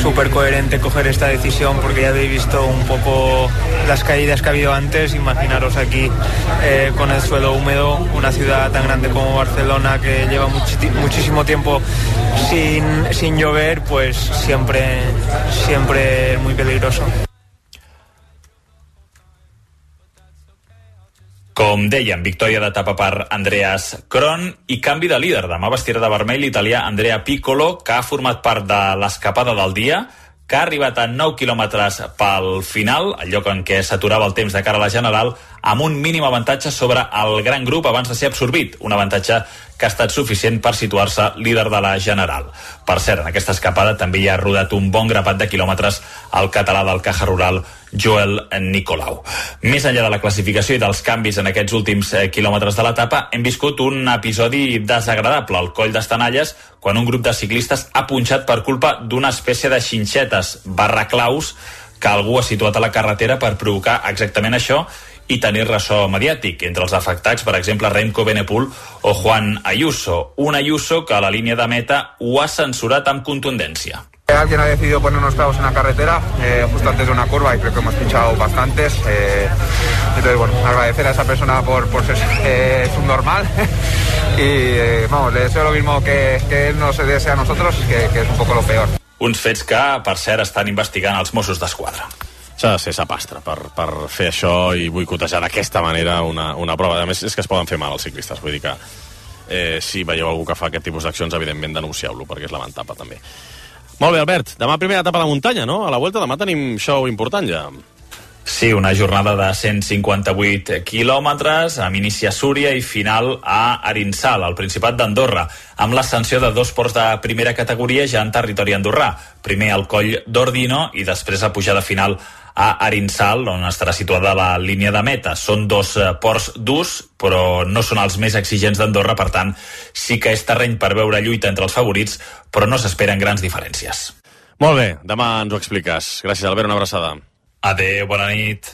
súper coherente coger esta decisión porque ya habéis visto un poco las caídas que ha habido antes. Imaginaros aquí eh, con el suelo húmedo, una ciudad tan grande como Barcelona que lleva muchi- muchísimo tiempo sin, sin llover, pues siempre, siempre es muy peligroso. Com dèiem, victòria d'etapa per Andreas Kron i canvi de líder. Demà vestirà de vermell l'italià Andrea Piccolo, que ha format part de l'escapada del dia, que ha arribat a nou quilòmetres pel final, el lloc en què s'aturava el temps de cara a la General, amb un mínim avantatge sobre el gran grup abans de ser absorbit, un avantatge que ha estat suficient per situar-se líder de la General. Per cert, en aquesta escapada també hi ha rodat un bon grapat de quilòmetres al català del Caja Rural, Joel Nicolau. Més enllà de la classificació i dels canvis en aquests últims eh, quilòmetres de l'etapa, hem viscut un episodi desagradable al Coll d'Estanalles, quan un grup de ciclistes ha punxat per culpa d'una espècie de xinxetes barra claus que algú ha situat a la carretera per provocar exactament això i tenir ressò mediàtic. Entre els afectats, per exemple, Remco Benepul o Juan Ayuso. Un Ayuso que a la línia de meta ho ha censurat amb contundència. Alguien ha decidido poner unos clavos en la carretera eh, justo antes de una curva y creo que hemos pinchado bastantes. Eh, entonces, bueno, agradecer a esa persona por, por ser eh, subnormal y eh, vamos, le deseo lo mismo que, que él nos desea a nosotros, que, que es un poco lo peor. Uns fets que, per cert, estan investigant els Mossos d'Esquadra. S'ha de ser sapastre per, per fer això i boicotejar d'aquesta manera una, una prova. A més, és que es poden fer mal els ciclistes. Vull dir que eh, si veieu algú que fa aquest tipus d'accions, evidentment denuncieu-lo, perquè és lamentable també. Molt bé, Albert. Demà primera etapa de muntanya, no? A la Vuelta demà tenim show important ja. Sí, una jornada de cent cinquanta-vuit quilòmetres, amb inici a Súria i final a Arinsal, al Principat d'Andorra, amb l'ascensió de dos ports de primera categoria ja en territori andorrà. Primer al Coll d'Ordino i després la pujada final a Arinsal, on estarà situada la línia de meta. Són dos ports durs, però no són els més exigents d'Andorra, per tant, sí que és terreny per veure lluita entre els favorits, però no s'esperen grans diferències. Molt bé, demà ens ho expliques. Gràcies, Albert, una abraçada. Adéu, bona nit.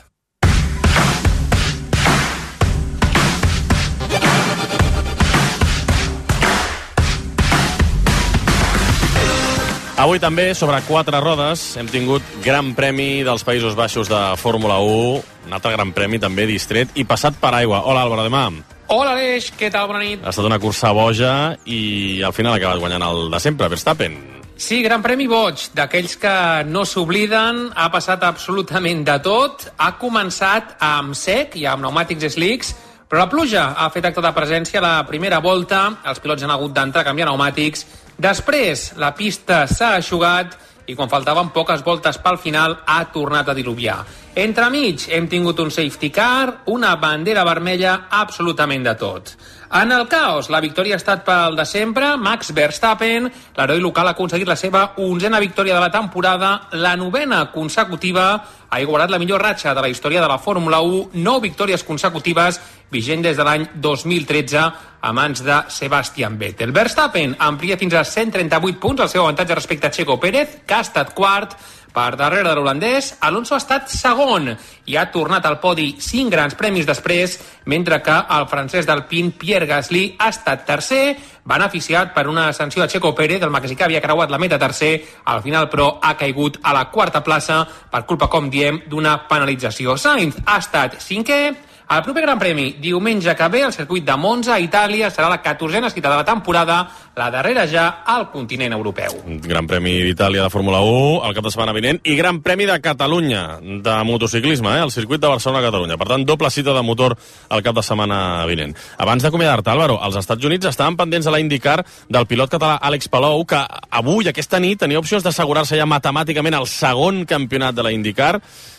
Avui també, sobre quatre rodes, hem tingut Gran Premi dels Països Baixos de Fórmula u, un altre Gran Premi també distret i passat per aigua. Hola, Álvaro de Mam. Hola, Aleix, què tal? Bona nit. Ha estat una cursa boja i al final ha acabat guanyant el de sempre, Verstappen. Sí, Gran Premi boig, d'aquells que no s'obliden, ha passat absolutament de tot, ha començat amb sec i amb pneumàtics slicks, però la pluja ha fet acte de presència a la primera volta, els pilots han hagut d'entrar a canviar pneumàtics, després la pista s'ha eixugat i quan faltaven poques voltes pel final ha tornat a diluviar. Entremig hem tingut un safety car, una bandera vermella, absolutament de tot. En el caos, la victòria ha estat pel de sempre, Max Verstappen, l'heroi local ha aconseguit la seva onzena victòria de la temporada, la novena consecutiva, ha igualat la millor ratxa de la història de la Fórmula u, nou victòries consecutives, vigent des de l'any dos mil tretze, a mans de Sebastian Vettel. Verstappen amplia fins a cent trenta-vuit punts el seu avantatge respecte a Checo Pérez, que ha estat quart. Per darrere de l'holandès, Alonso ha estat segon i ha tornat al podi cinc grans premis després, mentre que el francès d'Alpine, Pierre Gasly, ha estat tercer, beneficiat per una sanció de Checo Pérez, el mexicà havia creuat la meta tercer, al final però ha caigut a la quarta plaça per culpa, com diem, d'una penalització. Sainz ha estat cinquè. El proper Gran Premi, diumenge que ve, al circuit de Monza, a Itàlia, serà la catorzena cita de la temporada, la darrera ja al continent europeu. Gran Premi d'Itàlia de Fórmula u, el cap de setmana vinent, i Gran Premi de Catalunya, de motociclisme, eh, al circuit de Barcelona-Catalunya. Per tant, doble cita de motor el cap de setmana vinent. Abans d'acomiadar-te, Álvaro, als Estats Units estaven pendents a la IndyCar del pilot català Àlex Palou, que avui, aquesta nit, tenia opcions d'assegurar-se ja matemàticament el segon campionat de la IndyCar,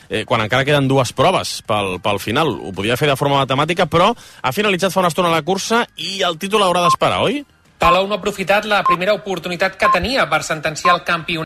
eh, quan encara queden dues proves pel, pel final. Ho podia fer de forma matemàtica, però ha finalitzat fa una estona la cursa i el títol haurà d'esperar, oi? Palou no ha aprofitat la primera oportunitat que tenia per sentenciar el campionat